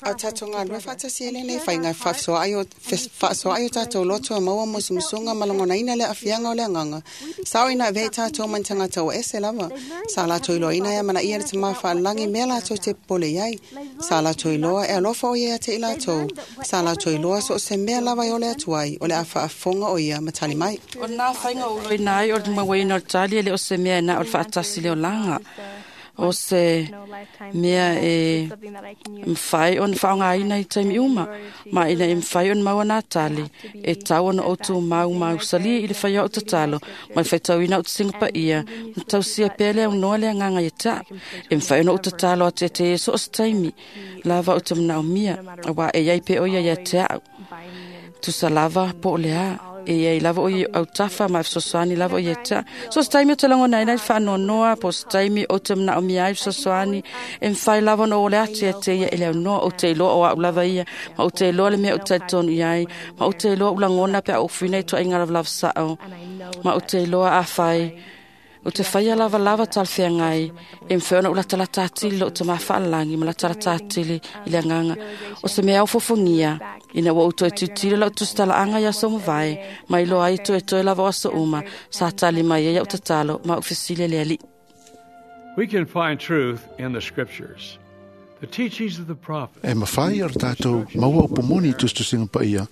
A tātou ngā lua whaatasi ele nei whai ngā whaasoa ai o whaasoa ai o tātou loto a maua musumusunga malangona ina le afianga o le anganga. Sao ina vei tātou man tangata o ese lava. Sa lātou iloa ina ia mana ia le te mawhaalangi mea lātou te pole iai. Sa lātou iloa e alofa o ia te i lātou. Sa lātou iloa so o se mea lava i o le atuai o le awhaafonga o ia matali mai. O nā whainga o ina ai o le mawaina o le tali ele o se mea na o le whaatasi le o langa. O se mea e mwhai on whaonga aina i taimi uma, ma ina e mwhai on maua nā tali, e tau ona o tū mau mau sali i le whaia o tatalo, ma le whaitau ina o te singa ia, ma tau sia pele au noa le nganga i ta, e mwhai ona o tatalo a te te e so o se taimi, lava o te manao mia, a wā e iai pe o ia ia te au. Tusa lava po o le a. E ia lava o i au tafa ma fsoswani lava o ia ta. So se taimi o te lango nei nei whaanonoa, po se taimi o te mna o mia ai fsoswani, e mwhai lava no o le atu ia te ia ele au noa o te iloa o au lava ia, ma o te iloa le mea o te tonu iai, ma o te iloa ulangona pe au whina i toa inga lava lava sao, ma o te iloa a whai. O te whaia lava lava talwhea ngai, e mwhai ona o latalata atili lo te mawhaalangi, ma latalata atili i le nganga. O se mea au fofongia, ina ua uto e tutilo lau tustala anga ia so mawai, ma iloa ai toe toe lava o aso uma, sa tali mai ia o tatalo, ma ufisile le ali. We can find truth in the scriptures. The teachings of the prophets. E mawhai o tātou maua o pomoni tustusinga pa ia.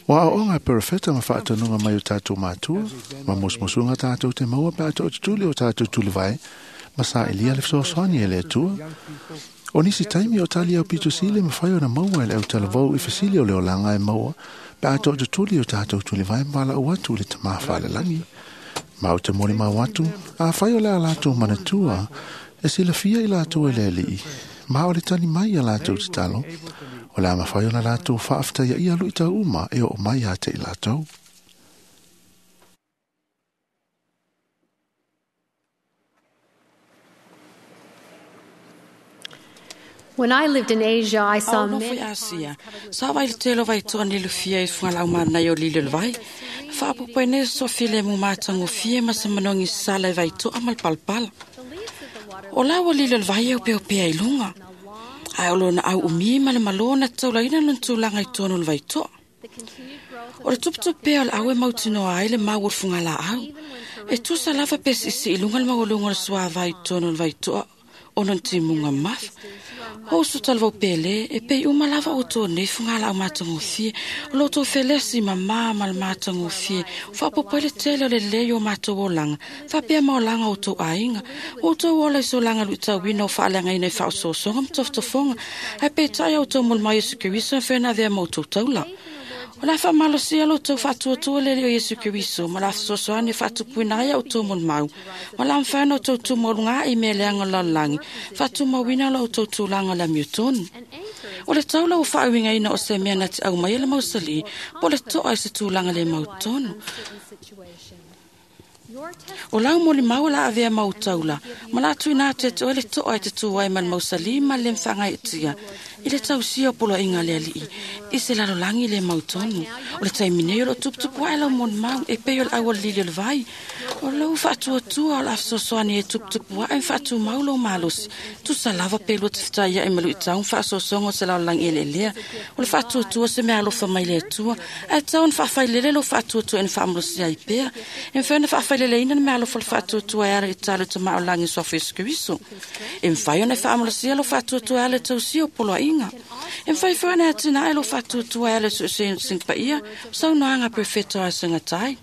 Wa o ngā perefeta ma whaatanunga mai o tātou mātua, ma mosmosunga tātou te maua pe ato o tutuli o tātou tulivai, ma sa elia le fesoasoani e le atua. O nisi taimi o tali au pito sile mawhai o na maua ele au talavau i fasili o le olanga e maua, pe ato o tutuli o tātou tulivai ma wala o atu le tamawha le langi. Ma o te mori mau atu, a whai o le a lātou manatua, e sila fia i lātou e le alii. Ma o le tani mai a lātou te talo, o le a mawhai o na lātou whaaftaia ia lui tau uma e o mai a te i lātou. When I lived in Asia, I saw many Asia. Sa vai telo vai toa ni lufia i whangalau mana i o lilo vai. Whaapupai ne so file mu mātango fie ma sa manongi sala i vai toa mal palpala. O lau o lilo vai au peo pea i lunga. Ai o lona au umi ma le malona taulaina non tūlanga i tono le vai toa. O le tuputu pea o le au e mautinoa ai le mau o le whangala au. E tusa lava pesi isi i lunga le mau o lunga le sua vai tono le vai toa o non timunga mafa. O su talvau pele, e pei uma lava o tō nei whangala au mātangofie, o lo tō felesi ma mā ma le mātangofie, whaapopo le tele o le lei o mātou o langa, whapea ma o langa o tō ainga, o tō ola i so langa lui tauina o whaalanga ina i whaosoosonga mtofotofonga, hei pe tai au tō mul mai Yesu Keriso whena vea mau tō taula. O la whamalosia lo tau whatuatua lele o Yesu Keriso, ma la whasosoane whatupuina ai au tō mul mau. Ma la mwhana o tau tūmaurunga i mea leanga lalangi, whatumauina lo tau tūlanga la miutonu. O le taula o whaawinga ina o se mea na te au mai ele mausali, po le toa i se tūlanga le mautonu. O lau moli mau la avea mau taula, ma la tuina atu e te oe le toa i te tūai man mausali ma le mwhanga i tia. I le tausia o polo inga le alii, i se lalo langi le mautonu. O le taimine o lo tuputupu ai lau mon mau, e pei o le au o le lili o le vai. O lau whaatuatua o la afsosoani e tuputupu ai whaatu mau lo malosi. Tusa lava pelu te whitaia e malu i taun whaasosongo o se lalo langi ele lea. O le whaatuatua se mea alofa mai le atua. Ai taun whaawhailele lo whaatuatua en whaamalosi ai pea. E mwhana whaawhailele ina mea alofa le whaatuatua e ara i talo te mao langi soafu Yesu Keriso. E mwhai ona whaamalosia lo whaatuatua e ala tausia o polo ainga. E mwhai whaana atina ai lo whaatuatua e ala singpa ia, saunoanga perfecto a singatai.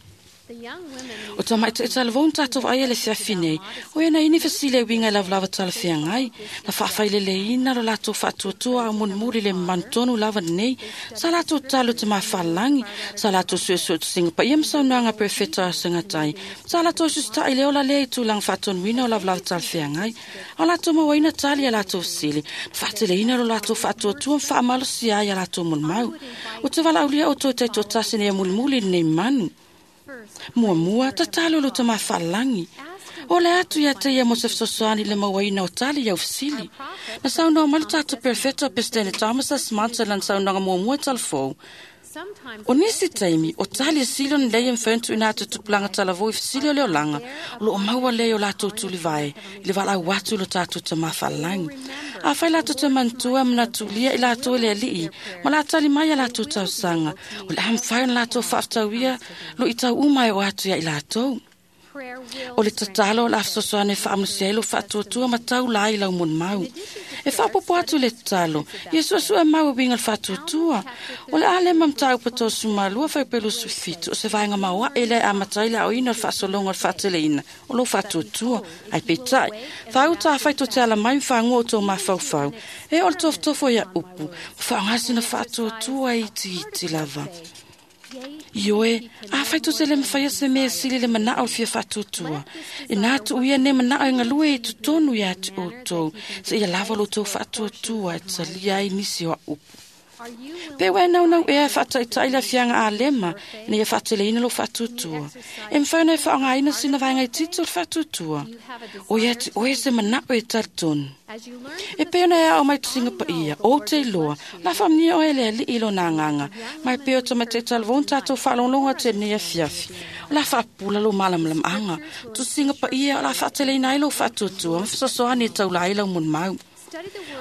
O ta mai te talavon tātou ai ele fiafi nei. O ena ini fasile winga lava lava tala fiangai. Na whawhaile le ina lo lato whatuatua au munmuri le mantonu lava nei. Sa lato talo te mawhalangi. Sa lato suesue te singa pa ia msaunoanga perfecto a singatai. Sa lato sustai le ola le i tūlang whatonuina o lava lava tala fiangai. O lato mawaina tali a lato sili. Whatele ina lo lato whatuatua mwhaamalosi ai a lato munmau. O te walaulia o tō te tō nei mulmuli nei manu. Mua mua, tatalo lo te mawhalangi. O le atu ia te ia mo se fesoasoani le mauaina o tali ia ufisili. Na saunoa mai le tātou perfecto a Presidente Thomas S. Monson lan saunoaga muamua i talafou. O nisi taimi, o tali e sili o ni lei e mwhentu ina atu tupulanga talavou i fisili o le olanga, o lo o maua lei o lātou tulivae, i le walau atu lo tātou te mawhalangi. A whai lātou te mantua manatulia i lātou e le alii, ma lā tali mai a lātou tausanga, o le amwhai o lātou whaaftauia, lo i tau umai o atu ia i lātou. O le tatalo o la afsosoane whaamnusia ilo whaatuatua ma tau lai lau mon mau. E whaapopo atu le tatalo, ia suasua mau winga le whaatuatua. O le ale mamtau pato sumalua whaipelu sufitu, o se vaenga maua e le amatai le au ina o le whaasolonga o le whaateleina, o lo whaatuatua, ai petai. Whauta whaito te ala mai whaangua o tō mawhauwhau. E o le tofotofo ia upu, whaangasina whaatuatua i iti iti lava. Ioe, a whaito te le mwhaia se mea sili le manao le fia whaatuatua. E nā tu uia ne manao e ngalue e tutonu ia atu o tau, se ia lava lo tau whaatuatua e talia ai nisi o upu. Pe wai nau nau ea whaataitai la fianga a lema, ina ia whaateleina lo whaatuatua. E mwhaina e whaongaina sina vaenga i tito le whaatuatua. O ia te oe se manao e talitonu. E pēna ea o mai tusinga pa ia, o te iloa, la whamnia o ele ali ilo nā nganga, mai peo ta mai te talavon tātou whaalonglonga te nea fiafi. O la whaapula lo malamlam anga, tusinga pa ia o la whaateleina ai lo whaatuatua, ma whasosoani e taula ai lau mun mau.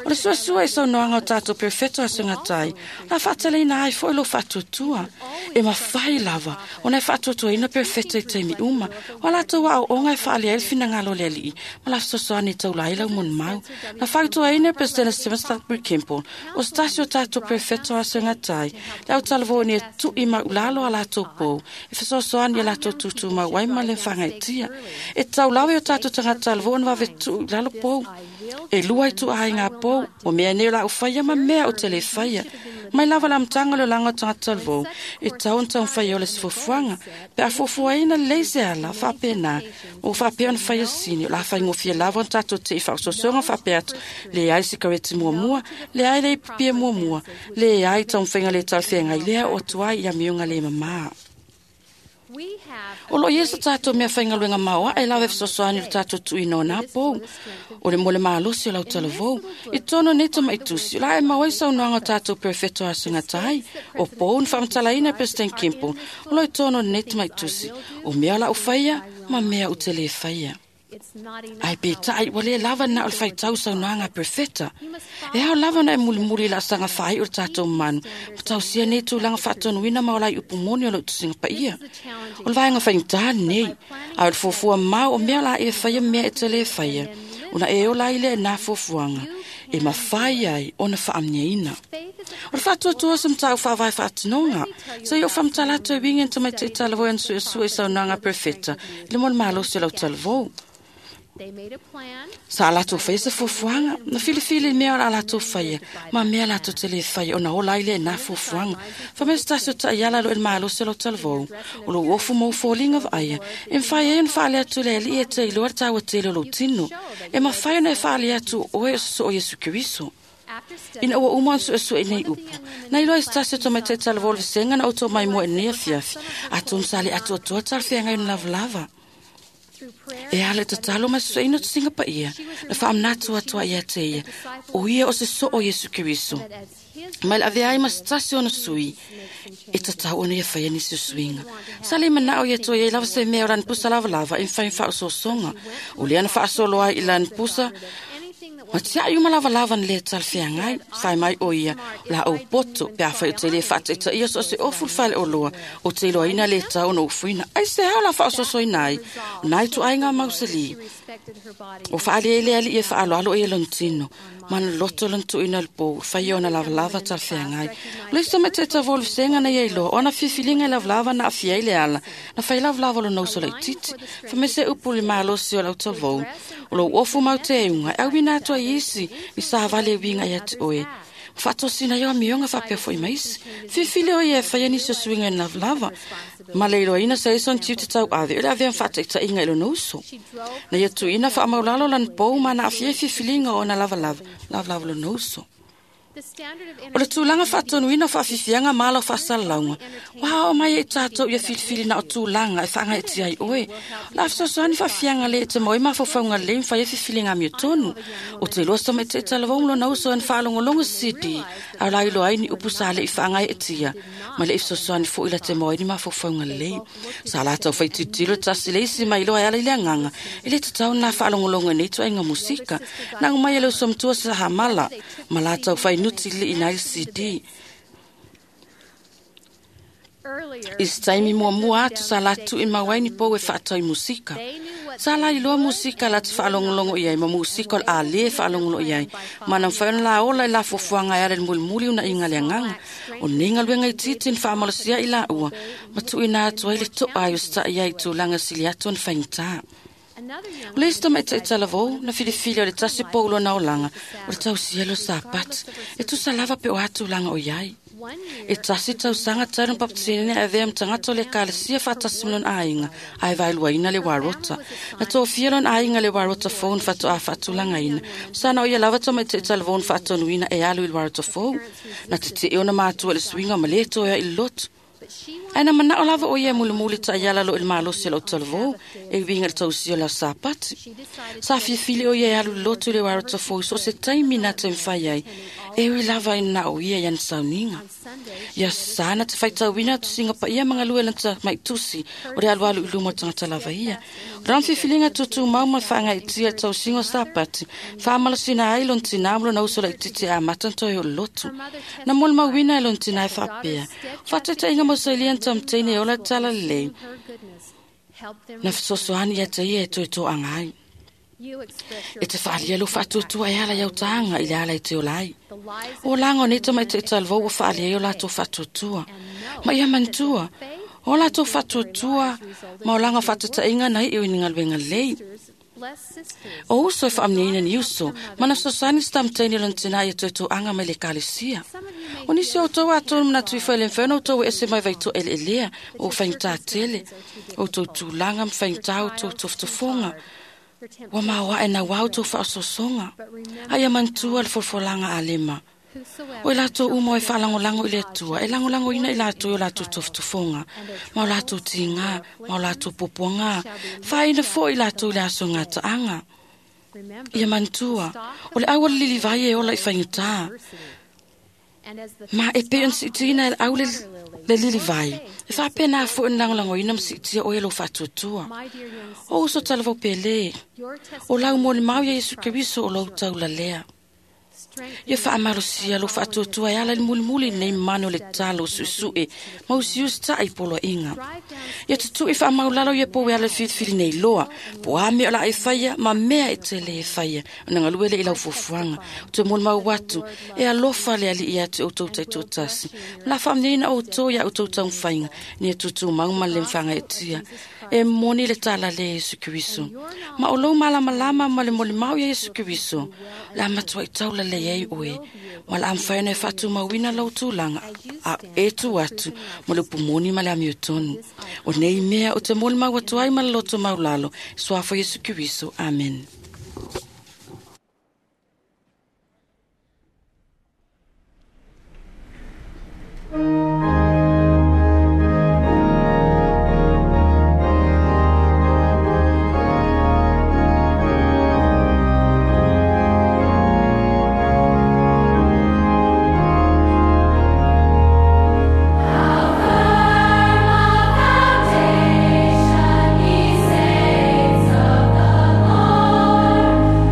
O le suasua i saunoaga o tatou perofeta o aso e gata ai, la faataleina ai foʻi lou faatuatua. E mafai lava ona e faatuatuaina perofeta i taimi uma, o a latou aoaoga e faaalia ai le finagalo o le Alii ma la fesoasoani e taula ai lau molimau. Na fautuaina e Peresetene Steven Stutbury Campbell, o se tasi o tatou perofeta o aso e gata ai, le autalavou ina ia tuʻi maulalo a latou pou e fesoasoani ia latou tutumau ai ma le fagaetia. E tatau lava i o tatou tagata talavou ona vave tuu i lalo pou. E lua i tuaaiga pou, o mea nei o la ufaia ma mea o te le faia. Mai lava le amataga o le olaga o tagata talavou, e tatau ona taumafai o le sefuafuaga. Pe a fuafuaina lelei se ala, faapena, ua faapea ona faia sini, o la faigofie lava ona tatou te'i faaososoga faapea atu, leai sikareti muamua, leai le ipupie muamua, leai taumafaiga le talafeagai lea o atu ai i amioga le mamā. O loo i ai se tatou mea faigaluega maoaʻe lava e fesoasoani i le tatou tuuina o nā pou. O le mo le malosi o lau talavou. I totonu o nei tamaitusi, o le a e maua ai saunoaga o tatou perofeta o aso e gata ai. O pou na faamatalaina e President Campbell, o loo i totonu o lenei tamaitusi, o mea o lau faia ma mea ou te lē faia. Ae peitai ua lē lava na o le faitau saunoaga a perofeta. E ao lava ona e mulimuli i le asaga faaiʻu o le tatou manu, ma tausia nei tulaga faatonuina ma ola ai upu moni o lou tusiga paia. O le vaega faigata lenei, ae o le fuafua mau o mea o le a e faia ma mea e te lē faia, ona e ola ai lea i nā fuafuaga e mafai ai ona faamanuiaina. O le faatuatua se mataupu faavae faatinoga, seia ou faamatala atu e uiga i ni tamaiti talavou e ana suesue i saunoaga a perofeta i le mo le malosi o lau talavou. Sa latou faia se fuafuaga, na filifili i mea o le a latou faia, ma mea latou te lē faia ona ola ai lea i nā fuafuaga. Fai mai se tasi o taiala lo i le malosi o lau talavou, o lou ofu ma ou foliga vaaia, e mafai ai ona faale atu i le Alii e te iloa le taua tele o lou tino. E mafai ona e faale atu o oe o se soo Iesu Keriso. Ina ua uma ona suesue i nei upu, na iloa i se tasi o tamaitai talavou o le vasega na outou maimoa i lenei afiafi, atonu sa le atoatoa talafeagai ona lavalava. E ala i tatalo ma suesueina o tusiga paia, na faamanatu atu ai ia te ia, o ia o se soo Iesu Keriso. Mai le avea ai ma se tasi ona sui, e tatau ona ia faia nisi o suiga. Sa le manao ia toe iai lava se mea o lana pusa lavalava e mafai ona faaosoosoga. O lea na faasolo ai i lana pusa, ma tiai uma lavalava na lē talafeagai. Fai mai o ia, o la ou poto, pe afai o te lē faataitaia so o se ofu le faleoloa, o te iloaina lē tatau ona ufuina. Ai se ao la faaosoosoina ai, o nai ituaiga mausalī. O faalia i le Alii e faaaloalo ia lona tino, ma na loto lona tuuina o le pou, faia ona lavalava talafeagai. O le isi tamaiti talavou o le vasega na ia iloa, o ana filifiliga e lavalava na aafia ai le ala, na fai lavalava lona uso laitiiti. Fai mai se upu i le malosi o lau talavou, o lou ofu mau te euga, e auina atu ai isi i savali e uiga ia te oe. Ma faatosina ai o amioga faapea foʻi ma isi. Filifili o ia e faia nisi o suiga i le lavalava, ma le iloaina sa ia sona tiute tauave o le avea ma faataitaiga i lona uso. Na ia tuuina faamaulalo lana pou ma na aafia ai filifiliga o ona lavalava, lavalava lona uso. O le tulaga faatonuina o faafiafiaga ma ala o faasalalauga, ua aoao mai ai tatou ia filifili na o tulaga e faagaeetia ai oe. O le a fesoasoani faafiafiaga lē e te maua ai mafaufauga lelei ma fai ai filifiliga amiotonu. O te iloa se tamaiti talavou ma lona uso e na faalogologo se C D, a o la iloa ai ni upu sa leʻi faagaeetia, ma leʻi fesoasoani foʻi la te maua ai ni mafaufauga lelei. Sa latou faitilotilo le tasi le isi ma iloa e ala i le agaga, e lē tatau ona faalogologo i nei ituaiga musika. Na ago mai e le uso matua sa hamala, ma latou fainuti liʻina ai le C D. I se taimi muamua atu sa latou tuuimau ai ni pou e faatau i musika. Sa la iloa musika la te faalogologo i ai ma musika o le a lē faalogologo i ai, ma na mafai ona laola i la fuafuaga e ala i le mulimuli unaiga le agaga. O lenei galuega itiiti na faamalosia i laua, ma tuuina atu ai le toa ai o setaʻi ai i tulaga sili atu ona faigata. O le isi tamaitai talavou na filifili o le tasi pou lona olaga, o le tausia le o sapati, e tusa lava pe o a tulaga o iai. E tasi tausaga talu na papatinina e avea ma tagata o le ekalesia faatasi ma lona aiga, ae vaeluaina le uarota. Na tofia lona aiga le uarota fou na faatoa faatulagaina, sana o ia lava tamaitai talavou na faatonuina e alu i le uarota fou. Na tetee ona matua i le suiga ma lē toe ai i le lotu. Ae na manao lava o ia e mulimuli taiala lo i le malosi o lau talavou, e uiga i le tausia o le aso Sapati. Sa filifili o ia e alu i le lotu i le uarota fou i so o se taimi na te mafai ai, E ui lava i na o ia i ana sauniga. Ia sana te faitauina tusiga paia ma galue lana maitusi o le alualu i luma o tagata lava ia. O lana filifiliga tutumau ma le faagaitia i le tausiga o Sapati, faamalosina ai lona tinā ma lona uso laitiiti e amata ona toe o le lotu. Na molimauina e lona tinā e faapea, o faataitaiga mo sailia na taumataini e ola i le talalelei, na fesoasoani ia te ia e toe toaga ai. E te faalia lou faatuatua e ala i autaga i le ala e te ola ai. O olaga o nei tamaitaʻi talavou ua faalia ai o latou faatuatua. Ma ia manatua, o latou faatuatua ma olaga o faatataʻiga na iʻu i ni galuega lelei. O uso e faamanuiaina ni uso, ma na fesoasoani se taumataini o lona tinā ia toe toaga mai le ekalesia. O nisi o outou atonu manatu ifo e le mafai ona outou ese mai vaitoʻeleʻelea ma ua faigata tele, o outou tulaga ma faigata outou tofotofoga. Ua maoaʻe nauā outou faaososoga, a ia manatua le folafolaga a Alema. O i latou uma e faalagolago i le Atua, e lagolagoina i latou i o latou tofotofoga, ma o latou tigā, ma o latou puapuagā, faaina foʻi i latou i le aso gataaga. Ia manatua, o le au o le lilivai e ola i faigatā. Ma e pei ona siitiina e le au le, le lilivai, e faapena foʻi ona lagolagoina ma siitia oe lou faatuatua. O uso talavou pele, o lau molimau ia Iesu Keriso o lou taulalea. Ia faamalosia lou faatuatua e ala i le mulimuli nei manu o le tatalo o suʻesuʻe ma usiusi taʻa i poloaiga. Ia tutuʻi faamaulalo ia pou e ala i le filifili nei loa, po a mea o le a e faia ma mea e te lē faia, ona galue lea i lau fuafuaga. O toe molimau atu, e alofa le Alii ia te outou taitoatasi. Ma la faamanuiaina outou ia outou taumafaiga, ina ia tutumau ma le lē mafagaetia. E moni le tala le Iesu Keriso. Ma o lou malamalama ma le molimau ia Iesu Keriso, o le a matuai taulalei ai oe, ma le a mafai ona e faatumauina lou tulaga a e tu atu ma le upu moni ma le amiotonu. O nei mea o te molimau atu ai ma le loto maulalo, i suafa o Iesu Keriso. Amen. He saves of the Lord.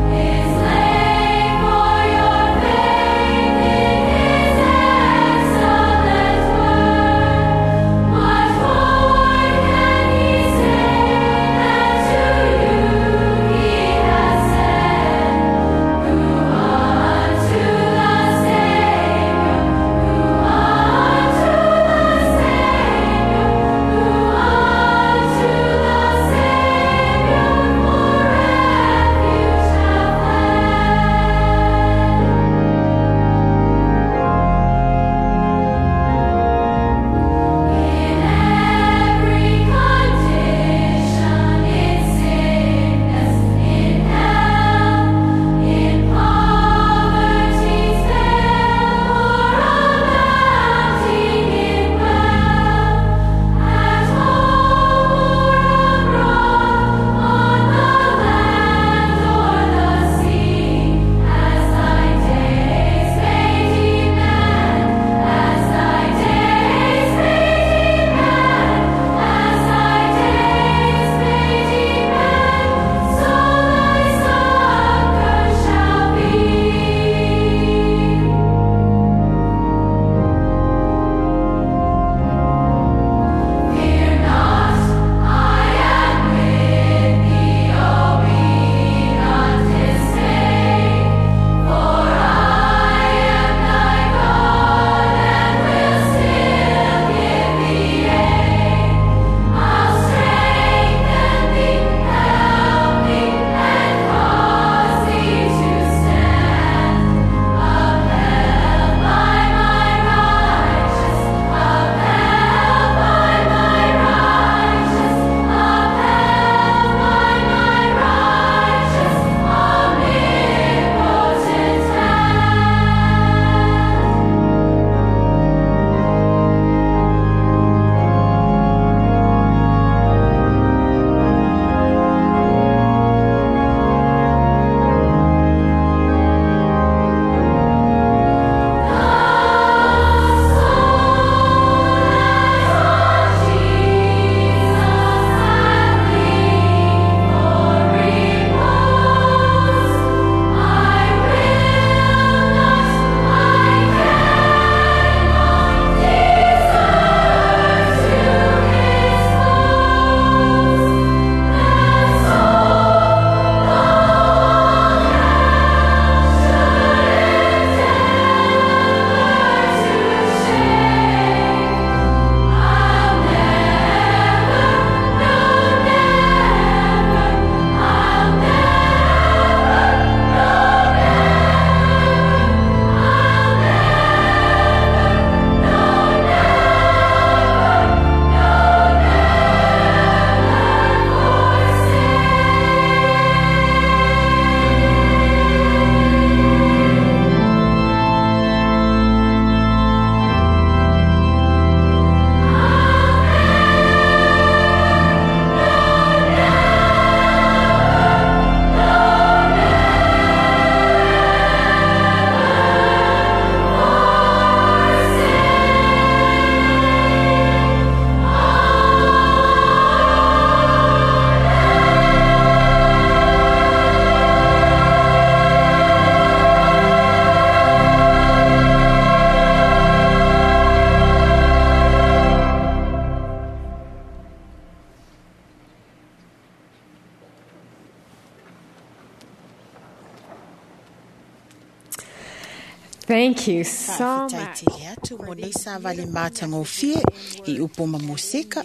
Thank you so much. Tele atu mo nei sa vali mātangofie i upo ma musika.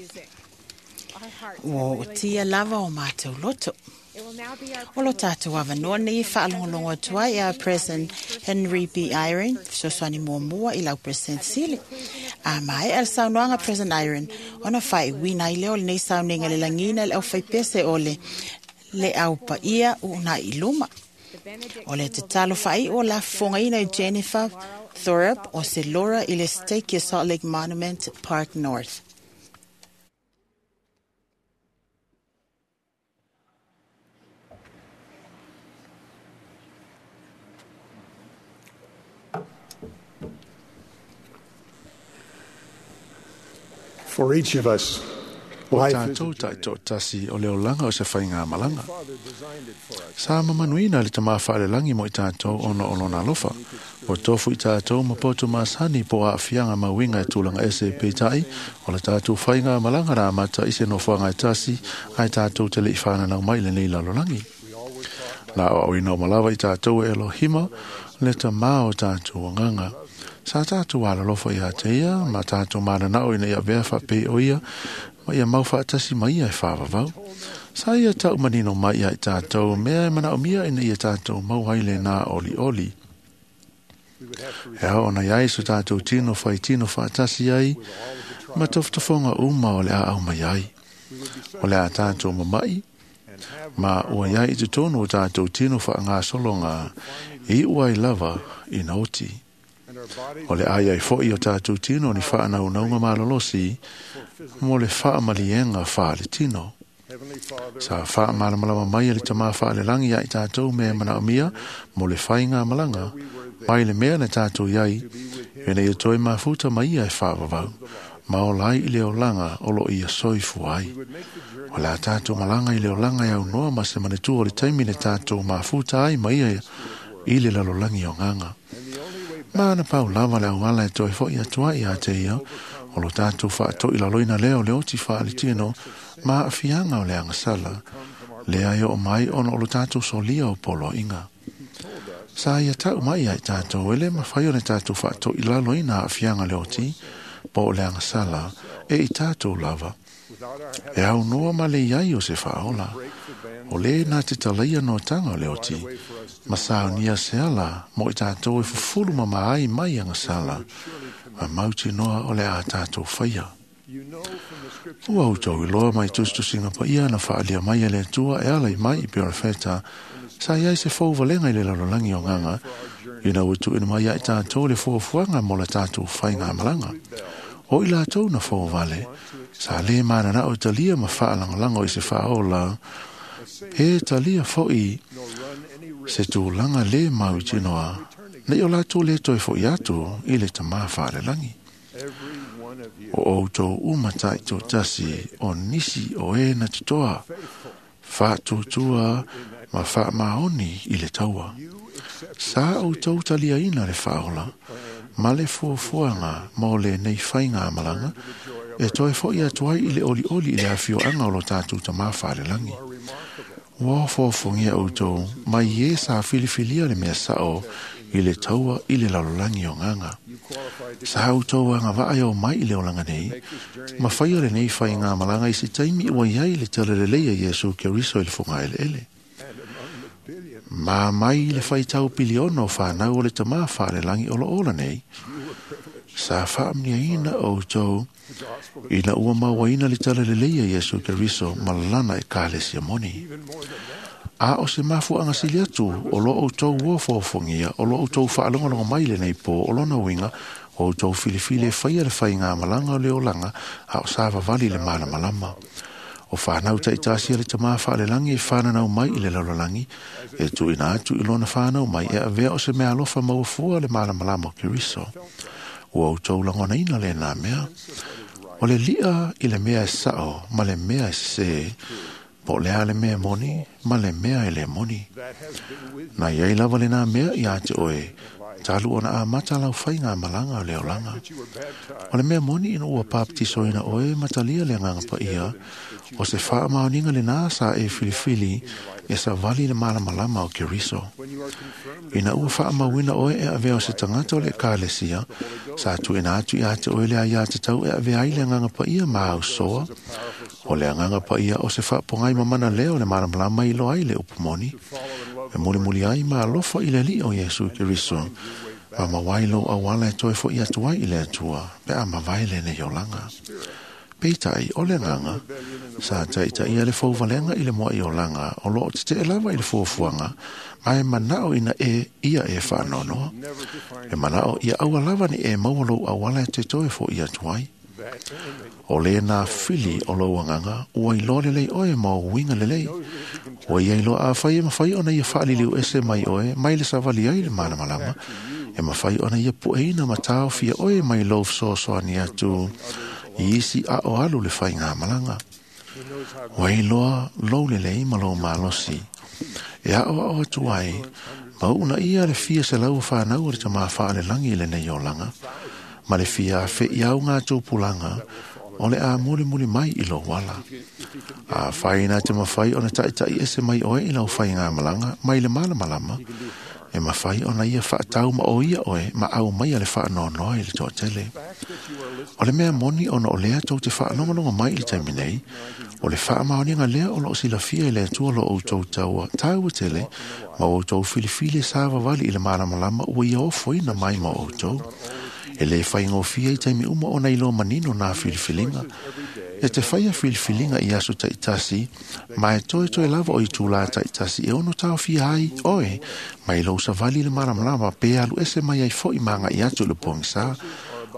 Ua o tia lava o mātou loto. O lo tātou awanoa nei whaalongolongo atu ai a President Henry B. Eyring, fesoasoani muamua i lau President Sili. A mai al saunoaga President Eyring, ona faaiuina ai lea o lenei sauniga le lagina le aufaipese o le le au paia uunai i luma. O le tatalo faai'u o lafofogaina i Jennifer Thorup o se Laura i le Stake i Salt Lake Monument Park North. For each of us, O life is tātou taitoatasi o le olaga o se faiga malaga. Sa mamanuina le tamā faalelangi mo i tātou ona o lona alofa. O tofu i tātou ma poto masani po aafiaga mauiga e tulaga ese peitai o le tātou faiga malaga la amata i se nofoaga e tasi ae tātou te le'i fananau mai lenei lalolagi. La o auina o malava i tātou e Elohima le tamā o tātou agaga. Sa tātou alalofa ia te ia, ma tātou mananao ina ia vea whapei o ia, ma ia mau whaatasi mai ia e whawawau. Sa ia tau manino mai ia i tātou, mea e manao mia ina ia tātou mau haile nā oli oli. E hao ona iai so tātou tino whai tino whaatasi ai, ma toftofonga uma o le a au mai ai. O le a tātou mamai, ma ua iai i te tonu o tātou tino wha ngā solonga, i ua i lava i naoti. O le ai ai fo'i o tātou tino ni whaanau naunga malolosi mo le whaamalienga wha le tino. Sa whaamalamalama mai le tamā whaalelangi ai tātou me manaomia mo le whainga malanga mai le mea le tātou iai ina ia toi mafuta mai ia e whaavavau ma o lai i le olanga o lo ia soifu ai. O la tātou malanga i le olanga e au noa ma se manetua o le taimi le tātou mafuta ai mai ia i le lalolangi o nganga. Mana pau lava le auala e toi fo'i atua i a te ia, o lo tātou whaatoi laloina leo le oti whaale tino, ma afianga o le angasala, lea e o mai ona o lo tātou solia o polo inga. Sa ia tau mai ai tātou, ele mawhai o le tātou whaatoi laloina afianga le oti, po o le angasala, e i tātou lava. E au noa ma le iai o se whaola, o le nā te talaia no tanga o le oti, ma saunia se ala mo i tātou e fufulu ma maai mai angasala, ma mauti noa o le a tātou whaia. Ua autou i loa mai tustusinga pa ia na whaalia mai e le atua e ala i mai i Perefeta, sa iai se fauvalenga i le lalolangi o nganga, ina ua tuuina mai ai tātou le fuafuaga mo le tātou faiga malaga. O i latou na fauvale, sa lē mananao e talia ma faalagolago i se faaola, e talia fo'i se tulaga lē mau i tinoa, nei o latou lē toe fo'i atu i le tamā faalelagi. O outou uma taitoatasi o nisi o e na totoa, faatuatua ma faamaoni i le taua. Sa outou taliaina le faaola, ma le fuafuaga mo lenei faiga malaga, e toe fo'i atu ai i le olioli i le afioaga o lo tatou tamā faalelagi. Ua ofoafogia outou mai e sa filifilia le mea sa'o i le taua i le lalolagi o gaga. Sa outou agavaa e o mai i le olaga nei, ma faia lenei faiga malaga i se taimi ua iai le talalelei a Iesu Keriso i le fogaeleele. Ma mai le faitau piliona o whanau o le tamā whaalelagi o lo ola nei, sa faamniaina outou ina ua mauaina le talalelei a Iesu Keriso ma lana e kalesia moni. A o se mafuaga sili atu o lo outou ua foafogia, o lo outou faalogologo mai lenei pō o lona uiga, o outou filifili e faia le faiga malaga o le olaga, a o sa vavali le malamalama. O whanau taitasi a le tamā whaalelangi e whananau mai i le lalolagi, e tuuina atu i lona whanau mai e avea o se mea alofa mauafua le malamalama o Keriso. Ua outou lagonaina lenā mea, o le li'a i le mea e sa'o ma le mea e sesē, po o le a le mea moni ma le mea e le moni. Na iai lava lenā mea iā te oe, Talu ona a mata lau whainga malanga o le olanga. O le mea moni ina ua papatisoina oe matalia le nganga pa ia, o se wha maoninga le nā sa e filifili e sa vali le malamalama o Keriso. Ina ua wha mawina oe e avea o se tangata o le ekalesia, sa tu ina atu i ate oe le a ia te tau e avea ai le nganga pa ia ma au soa. O le nganga pa ia o se wha pongai mamana leo le malamalama i loa ai le upumoni. E muli muli ai ma alofa i le li o Yesu Keriso. Ma mawai lo awala e toe fo i atu ai i le atua, pe a mawai le ne yolanga. Peitai o le nganga, sa taitai a le fauvalenga i le moa i olanga, o loo te te lava i le fuafuaga, ma e manao ina e ia e whaanonoa. E manao ia aua lava ni e maua lou awala e te toe fo i atu ai. O le nā fili o lau anganga, ua iloa lelei oe ma o uiga lelei. Ua ia iloa a whai e mawhai ona ia whaaliliu ese mai oe, mai le savali ai le malamalama. E mawhai ona ia pueina matao fia oe mai lou fesoasoani atu i isi a o alu le whai ngā malanga. Ua iloa lou lelei ma lou malosi. E a o ao atu ai, mauna ia le fia se lau whanau o le tama whaale langi le nei olanga. Ma le fia fe i au ngā tūpulanga, o le a muli muli mai i lou wala. A whai nā te mawhai o na taitai ese mai oe i lau whai ngā malanga, mai le malamalama, e mawhai o na ia whaatau ma o ia oe, ma au mai a le whaanonoa i le toatele. O le mea moni ona o lea tau te whaalongalonga mai i le taimi nei, o le whaamaoninga lea o loo silafia i le atua lo outou taua taua tele, ma outou filifili sa vavali i le malamalama ua ia ofoina mai ma outou. E le whaingofia i taimi uma o nei lo manino nā filifilinga. E te whaia filifilinga i aso taitasi, ma e toe toe lava o i tūlā taitasi e ono tau fia ai oe, mai lou savali le malamalama pe alu ese mai ai foi manga i atu le pongisa.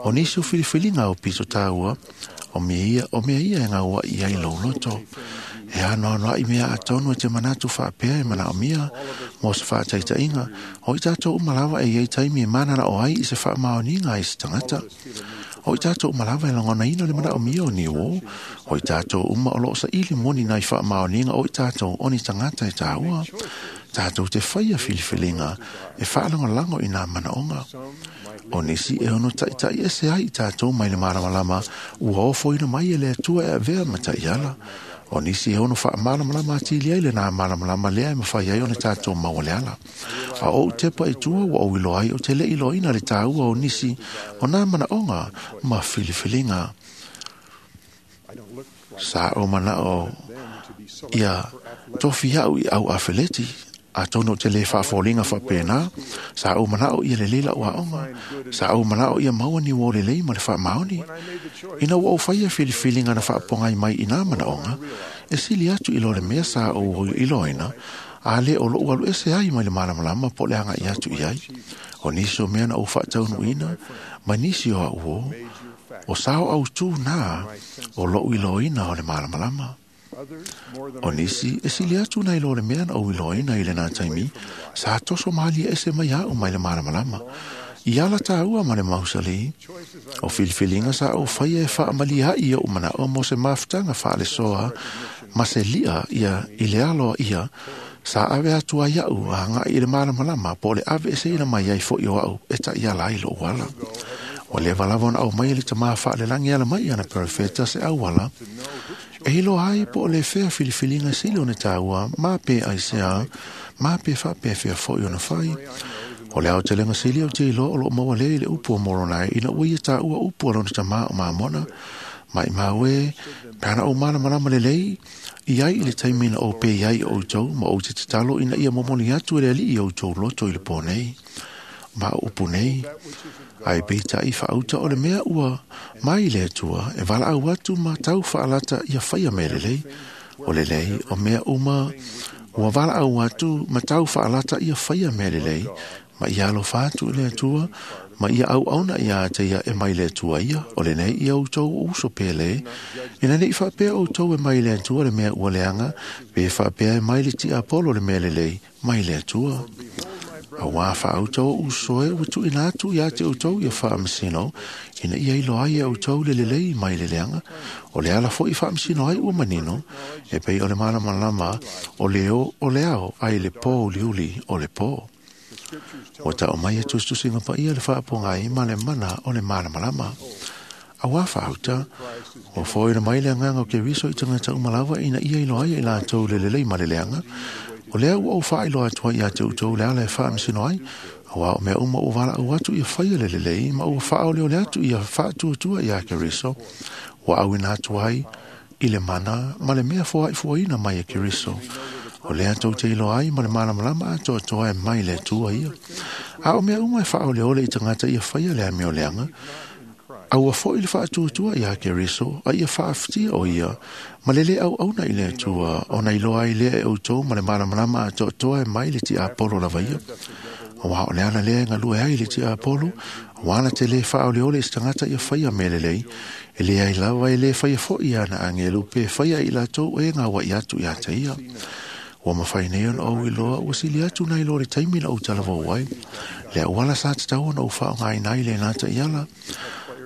O nisi o filifilinga o pito tāua, o mea ia, o mea ia e ngaua i ai lou loto. E ano ano ai mea atonu e te manatu whaapea e mana o mea, mo se whaataitainga, o i tātou umalawa e iei taimi e manana o ai i se whaamaoninga i se tangata. O i tātou umalawa e langona ina le mana o mea o ni o, o i tātou uma o loo sa ili moni nai whaamaoninga o i tātou oni tangata e tāua. Tātou te whaia filifilinga e whaalangolango i nā manaonga. O nisi e ono taitai ese ai i tātou mai le malamalama ua ofoina mai e le atua e avea matai ala. O nisi e ono whaamalamalama atili ai le nā malamalama lea e mawhai ai o ne tātou maua le ala. A o tepa i tua wa o ilo ai o te le ilo ina le tāua o nisi o nā manaonga ma filifilinga. Sa o manao ia tofi au i au afeleti. A tono te le whaafolinga whapena, sa au manao ia le leila ua onga, sa au manao ia maua ni wō le lei ma le whaamaoni. Ina ua o whaia filifilinga na whaapongai mai i nā manaonga, e sili atu i lo le mea sa o iloina, a le o lou alu ese ai mai le malamalama po le anga i atu i ai. O nisi o mea na o whaataunu ina, ma nisi o au o, o sao au tū nā o lou iloina o le malamalama. O nisi, e sili atu nei lo le mea na o iloina i le nā taimi, sa toso maali ese mai au mai le malamalama. I ala tāua ma le mausali, o filifilinga sa o whaia e whaamali hai o mana o mo se mafutanga whaalesoa, ma se lia ia i le aloa ia, sa ave atu ai au a ngai i le malamalama po le ave ese ina mai ai fo i o au e ta ia lai lo wala. O le walava ona au mai le tamaa whaalelangi ala mai ana perfeta se au wala. E hilo ai po le fea filifilinga sili o ne tāua, mā pe ai sea, mā pe wha pe fea fo i ona whai. O le ao te lenga sili o te ilo o lo maua le i le upu o moronai ina ua ia tāua upu alona tamā o māmona. Mai māue, pēna o malamalama le lei, i ai i le taimi na o pe ai o outou, ma o te tatalo ina ia momoli atu e le alii o outou loto i le pō nei. Ma o upu nei, ai peitai whaauta o le mea ua mai le atua, e wala au atu ma tau whaalata ia whaia me le lei. O le lei, o mea uma, ua wala au atu ma tau whaalata ia whaia me le lei, ma ia alo whaatu i le atua, ma ia au auna ia te ia e mai le atua ia, o le nei ia outou uso pele, ina nei whaapea outou e mai le atua le mea ua leanga, pe whaapea e mai le ti Apollo le mea le lei, mai le atua. A wā whaautou uso e ua tuina atu ia te outou ia whaamasino, ina ia ilo ai e outou le lelei mai le leanga, o le ala fo i whaamasino ai ua manino, e pei o le malamalama o le o o le ao ai le pō uliuli o le pō. Ua ta'o mai e tusitusiga paia le faapogai ma le mana o le malamalama. Auā faauta, ua fo'oina mai le agaga o Keriso i tagata uma lava ina ia iloa ai e latou le lelei ma le leaga. O lea ua ou faailoa atu ai ia te outou le ala e faamasino ai, auā o mea uma ua valaau atu ia faia le lelei ma ua faaoleole atu ia faatuatua iā Keriso, ua auina atu ai i le mana ma le mea foa'ifuaina mai e Keriso. O lea tou te iloa ai ma le malamalama atoatoa e mai le Atua ia. A o mea uma e faaoleole i tagata ia faia le amioleaga, a ua fo'i le faatuatua iā Keriso a ia faafitia o ia ma le lē auauna i le Atua ona iloa ai lea e outou ma le malamalama atoatoa e mai le tiapolo lava ia. Auā o le ala lea e galue ai le tiapolo, auā na te lē faaoleole i se tagata ia faia mea lelei, e leai lava e lē faia fo'i ana agelu pe faia i latou e gaua'i atu iā te ia. Ua mafai nei ona ou iloa ua sili atu nai lo le taimi na ou talavou ai. Le auala sa tatau ona ou faaaogāina ai lenā ta'iala.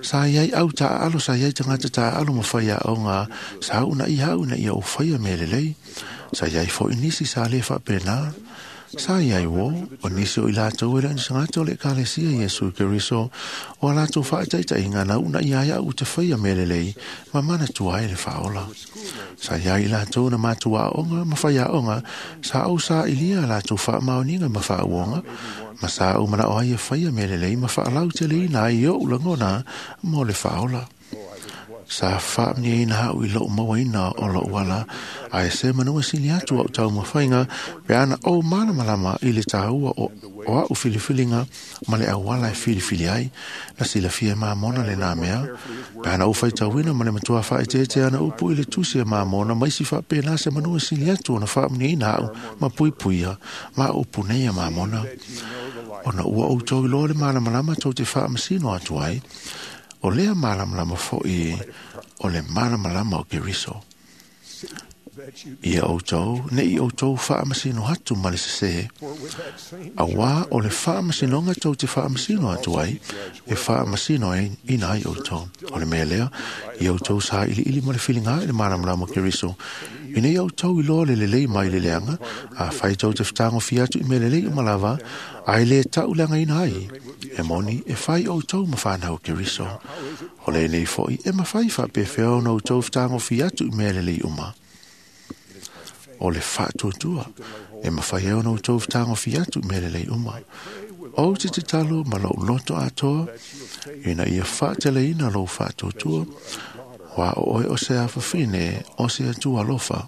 Sa iai au taaalo, sa iai tagata taaalo ma faiaoga sa uunaia au ina ia ou faia mea lelei. Sa iai fo'i nisi sa lē faapena. Sa iai uō, o nisi o i latou e le o ni tagata o le Ekalesia Iesu Keriso, o a latou faataita'iga na uunaia ai a'u te faia mea lelei ma manatua ai le faaola. Sa iai i latou na matou aoga ma faiaoga sa ou sa'ilia a latou faamaoniga ma faauoga, ma sa ou mana'o ai e faia mea lelei ma faalauteleina ai o'u lagona mo le faaola. Sa faamanuiaina a'u i lo'u mauaina o lo'u ala, ae se manua sili atu a'u taumafaiga pe ana ou malamalama i le tāua o, o a'u filifiliga ma le auala e filifili ai. Na silafia e Mamona lenā mea, pe ana ou faitauina ma le matua faaeteete ana upu i le tusi a Mamona ma isi faapena se manua sili atu ona faamanuiaina a'u ma puipuia ma upu nei a Mamona. Ona ua outou iloa le malamalama tou te faamasino atu ai, o lea malamalama fo'i o le malamalama o Keriso. Ia outou, ne'i outou faamasino atu ma le sesē, auā o le faamasinoga tou te faamasino atu ai, e faamasino ina ai outou. O le mea lea, ia outou sailiili ma le filiga i le malamalama o Keriso, ina ia outou iloa le lelei mai le leaga, afai tou te fetagofia atu i mea lelei uma lava, ae lē ta'uleagaina ai, e moni e fai outou ma fanau o Keriso. O lenei fo'i e mafai faapefea ona outou fetagofia atu i mea lelei uma. O le faatuatua e mafai ai ona outou fetagofia atu i mea lelei uma. Ou te tatalo ma lou loto atoa, ina ia faateleina lou faatuatua, ua o oe o se afafine o se Atua alofa.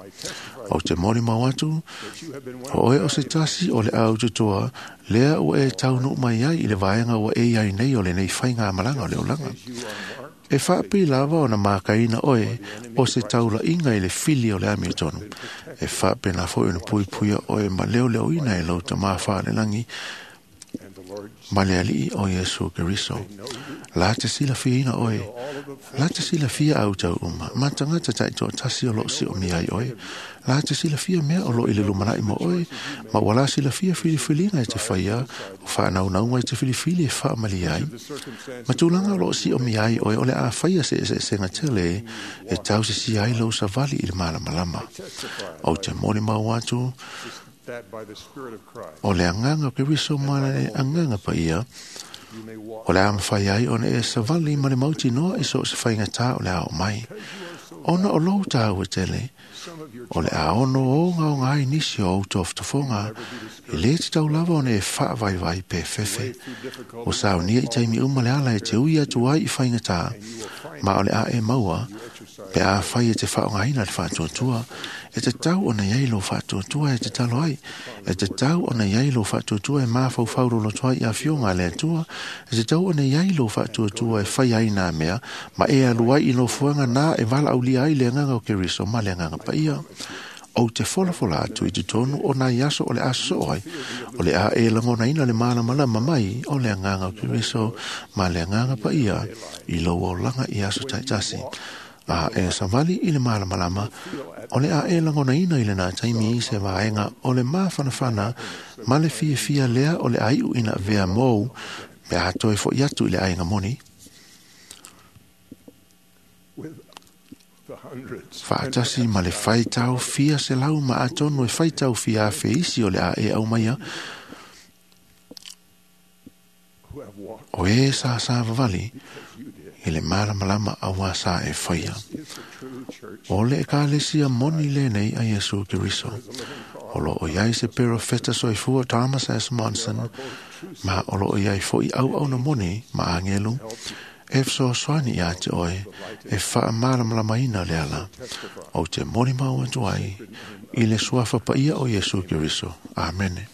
Ou te molimau atu, o oe o se tasi o le aututoa, lea ua e taunuu mai ai i le vaega ua e iai nei o lenei faigamalaga o le olaga. E faapei lava ona makaina oe o se taula'iga i le fili o le amiotonu. E faapena fo'i ona puipuia oe ma leoleoina e lou tamā faalelagi ma le Ali'i o Iesu Keriso. La te silafiaina oe, la te silafia au tau uma, ma tagata ta'itoatasi o lo'o si'omia ai oe. La te silafia mea o lo'o i le lumana'i mo oe, ma ua la silafia filifiliga e te faia, o faanaunauga i te filifili e faamalia ai. Ma tulaga o lo'o si'omia ai oe o le a faia se eseesega tele e tausisia ai lou savali i le malamalama. Ou te molimau atu, o le agaga o Keriso ma le agaga paia, o le a mafai ai ona e savali ma le mautinoa i so o se faigatā o le a oo mai. Ona o lou tāua tele, o le a ono ogaoga ai nisi o ou tofotofoga, e lē tatau lava ona e faavaivai pe fefe. Ua saunia i taimi uma le ala e te ui atu ai i faigatā, ma o le a e maua, pe afai e te faaaogāina le faatuatua, e tatau ona iai lou faatuatua e tatalo ai, e tatau ona iai lou faatuatua e mafaufau loloto ai i afioga a le Atua, e tatau ona iai lou faatuatua e fai ai nā mea, ma e alu ai i nofoaga nā e valaaulia ai le agaga o Keriso ma le agaga paia. Ou te folafola atu i totonu o nai aso o le a sosoo ai, o le a e lagonaina le malamalama mai o le agaga o Keriso ma le agaga paia i lou olaga i aso ta'itasi. A e savali i le malamalama, o le a e lagonaina i lenā taimi i se vaega o le mafanafana ma le fiafia lea o le a iu ina avea mou pe a toe fo'i atu i le aiga moni. Faatasi ma le faitau fia selau ma atonu e faitau fia afe isi o le a e aumaia, O e sa sa vavali i le malamalama aua sa e whaia. O le ekalesia moni le nei a Iesu Keriso. O lo o iai se perofeta soifua Thomas S. Monson, ma o lo o iai foi au au na moni ma angelu, e fesoasoani ia te oe e faamalamalamaina le ala. O te moni mau atu ai i le suafa paia o Iesu Keriso. Amene.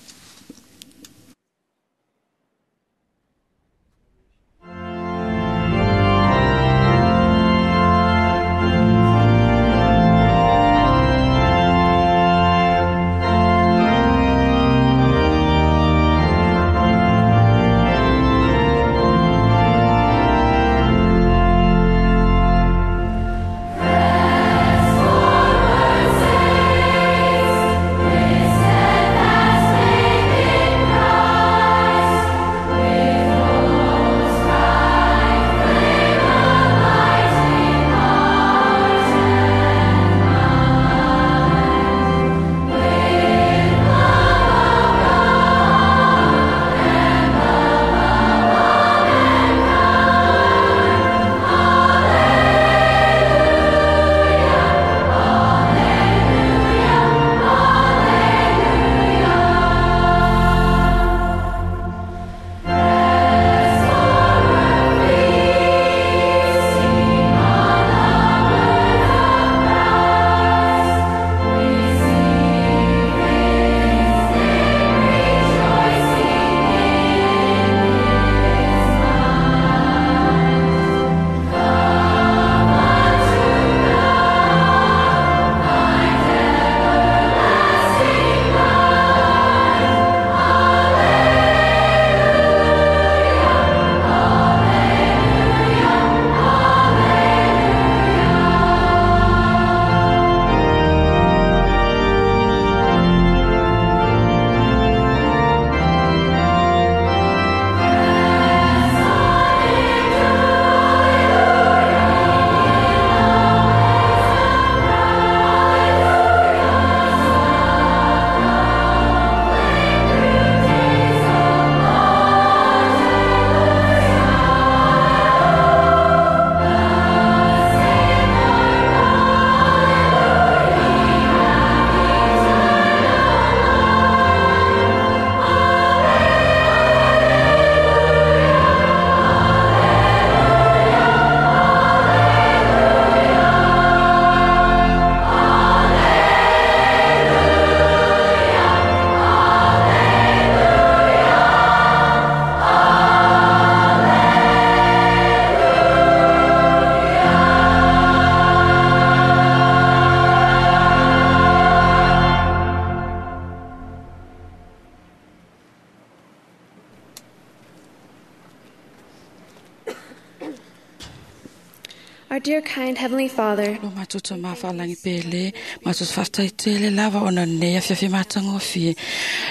Our dear kind Heavenly Father, Lo matoto mawhalangi pele, matos whaftaitele lava ona nea fiafi matangofie.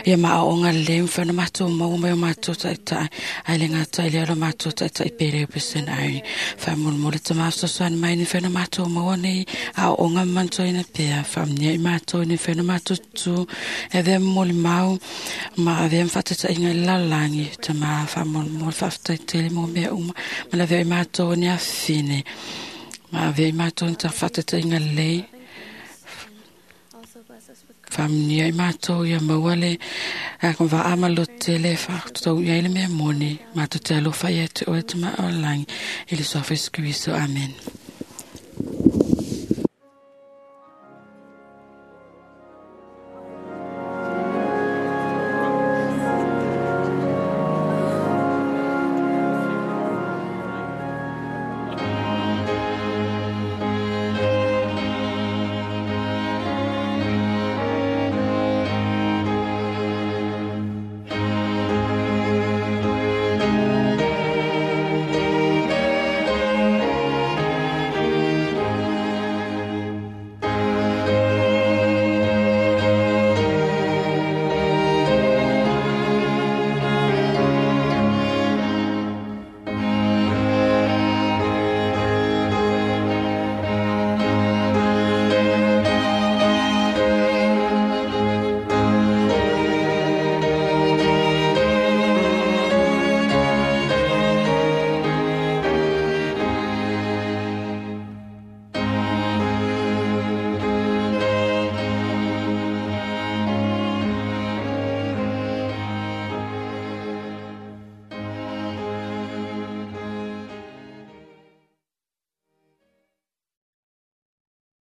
Ia maa o ngā le mwhana mato maua mai o mato taitai, ai le ngā tai le alo mato taitai pere o pesen ai. Whamulmule te maafsosoani mai ni whana mato maua nei, a o ngā manto ina pea, whamnia i mato ni whana mato tū, e vea moli mau, ma avea mwhatatai ngā lalangi, te maa whamulmule whaftaitele mō mea uma, ma la vea i mato ni awhine. Ma avea i mato ni ta whatatai ngā lei. Whamnia i mātou ia mauale, a kon wa ama lo tele wha tau ia ile mea moni, mātou te alofa ia te oe te maa o langi, i le soafa Iesu Keriso. Amen.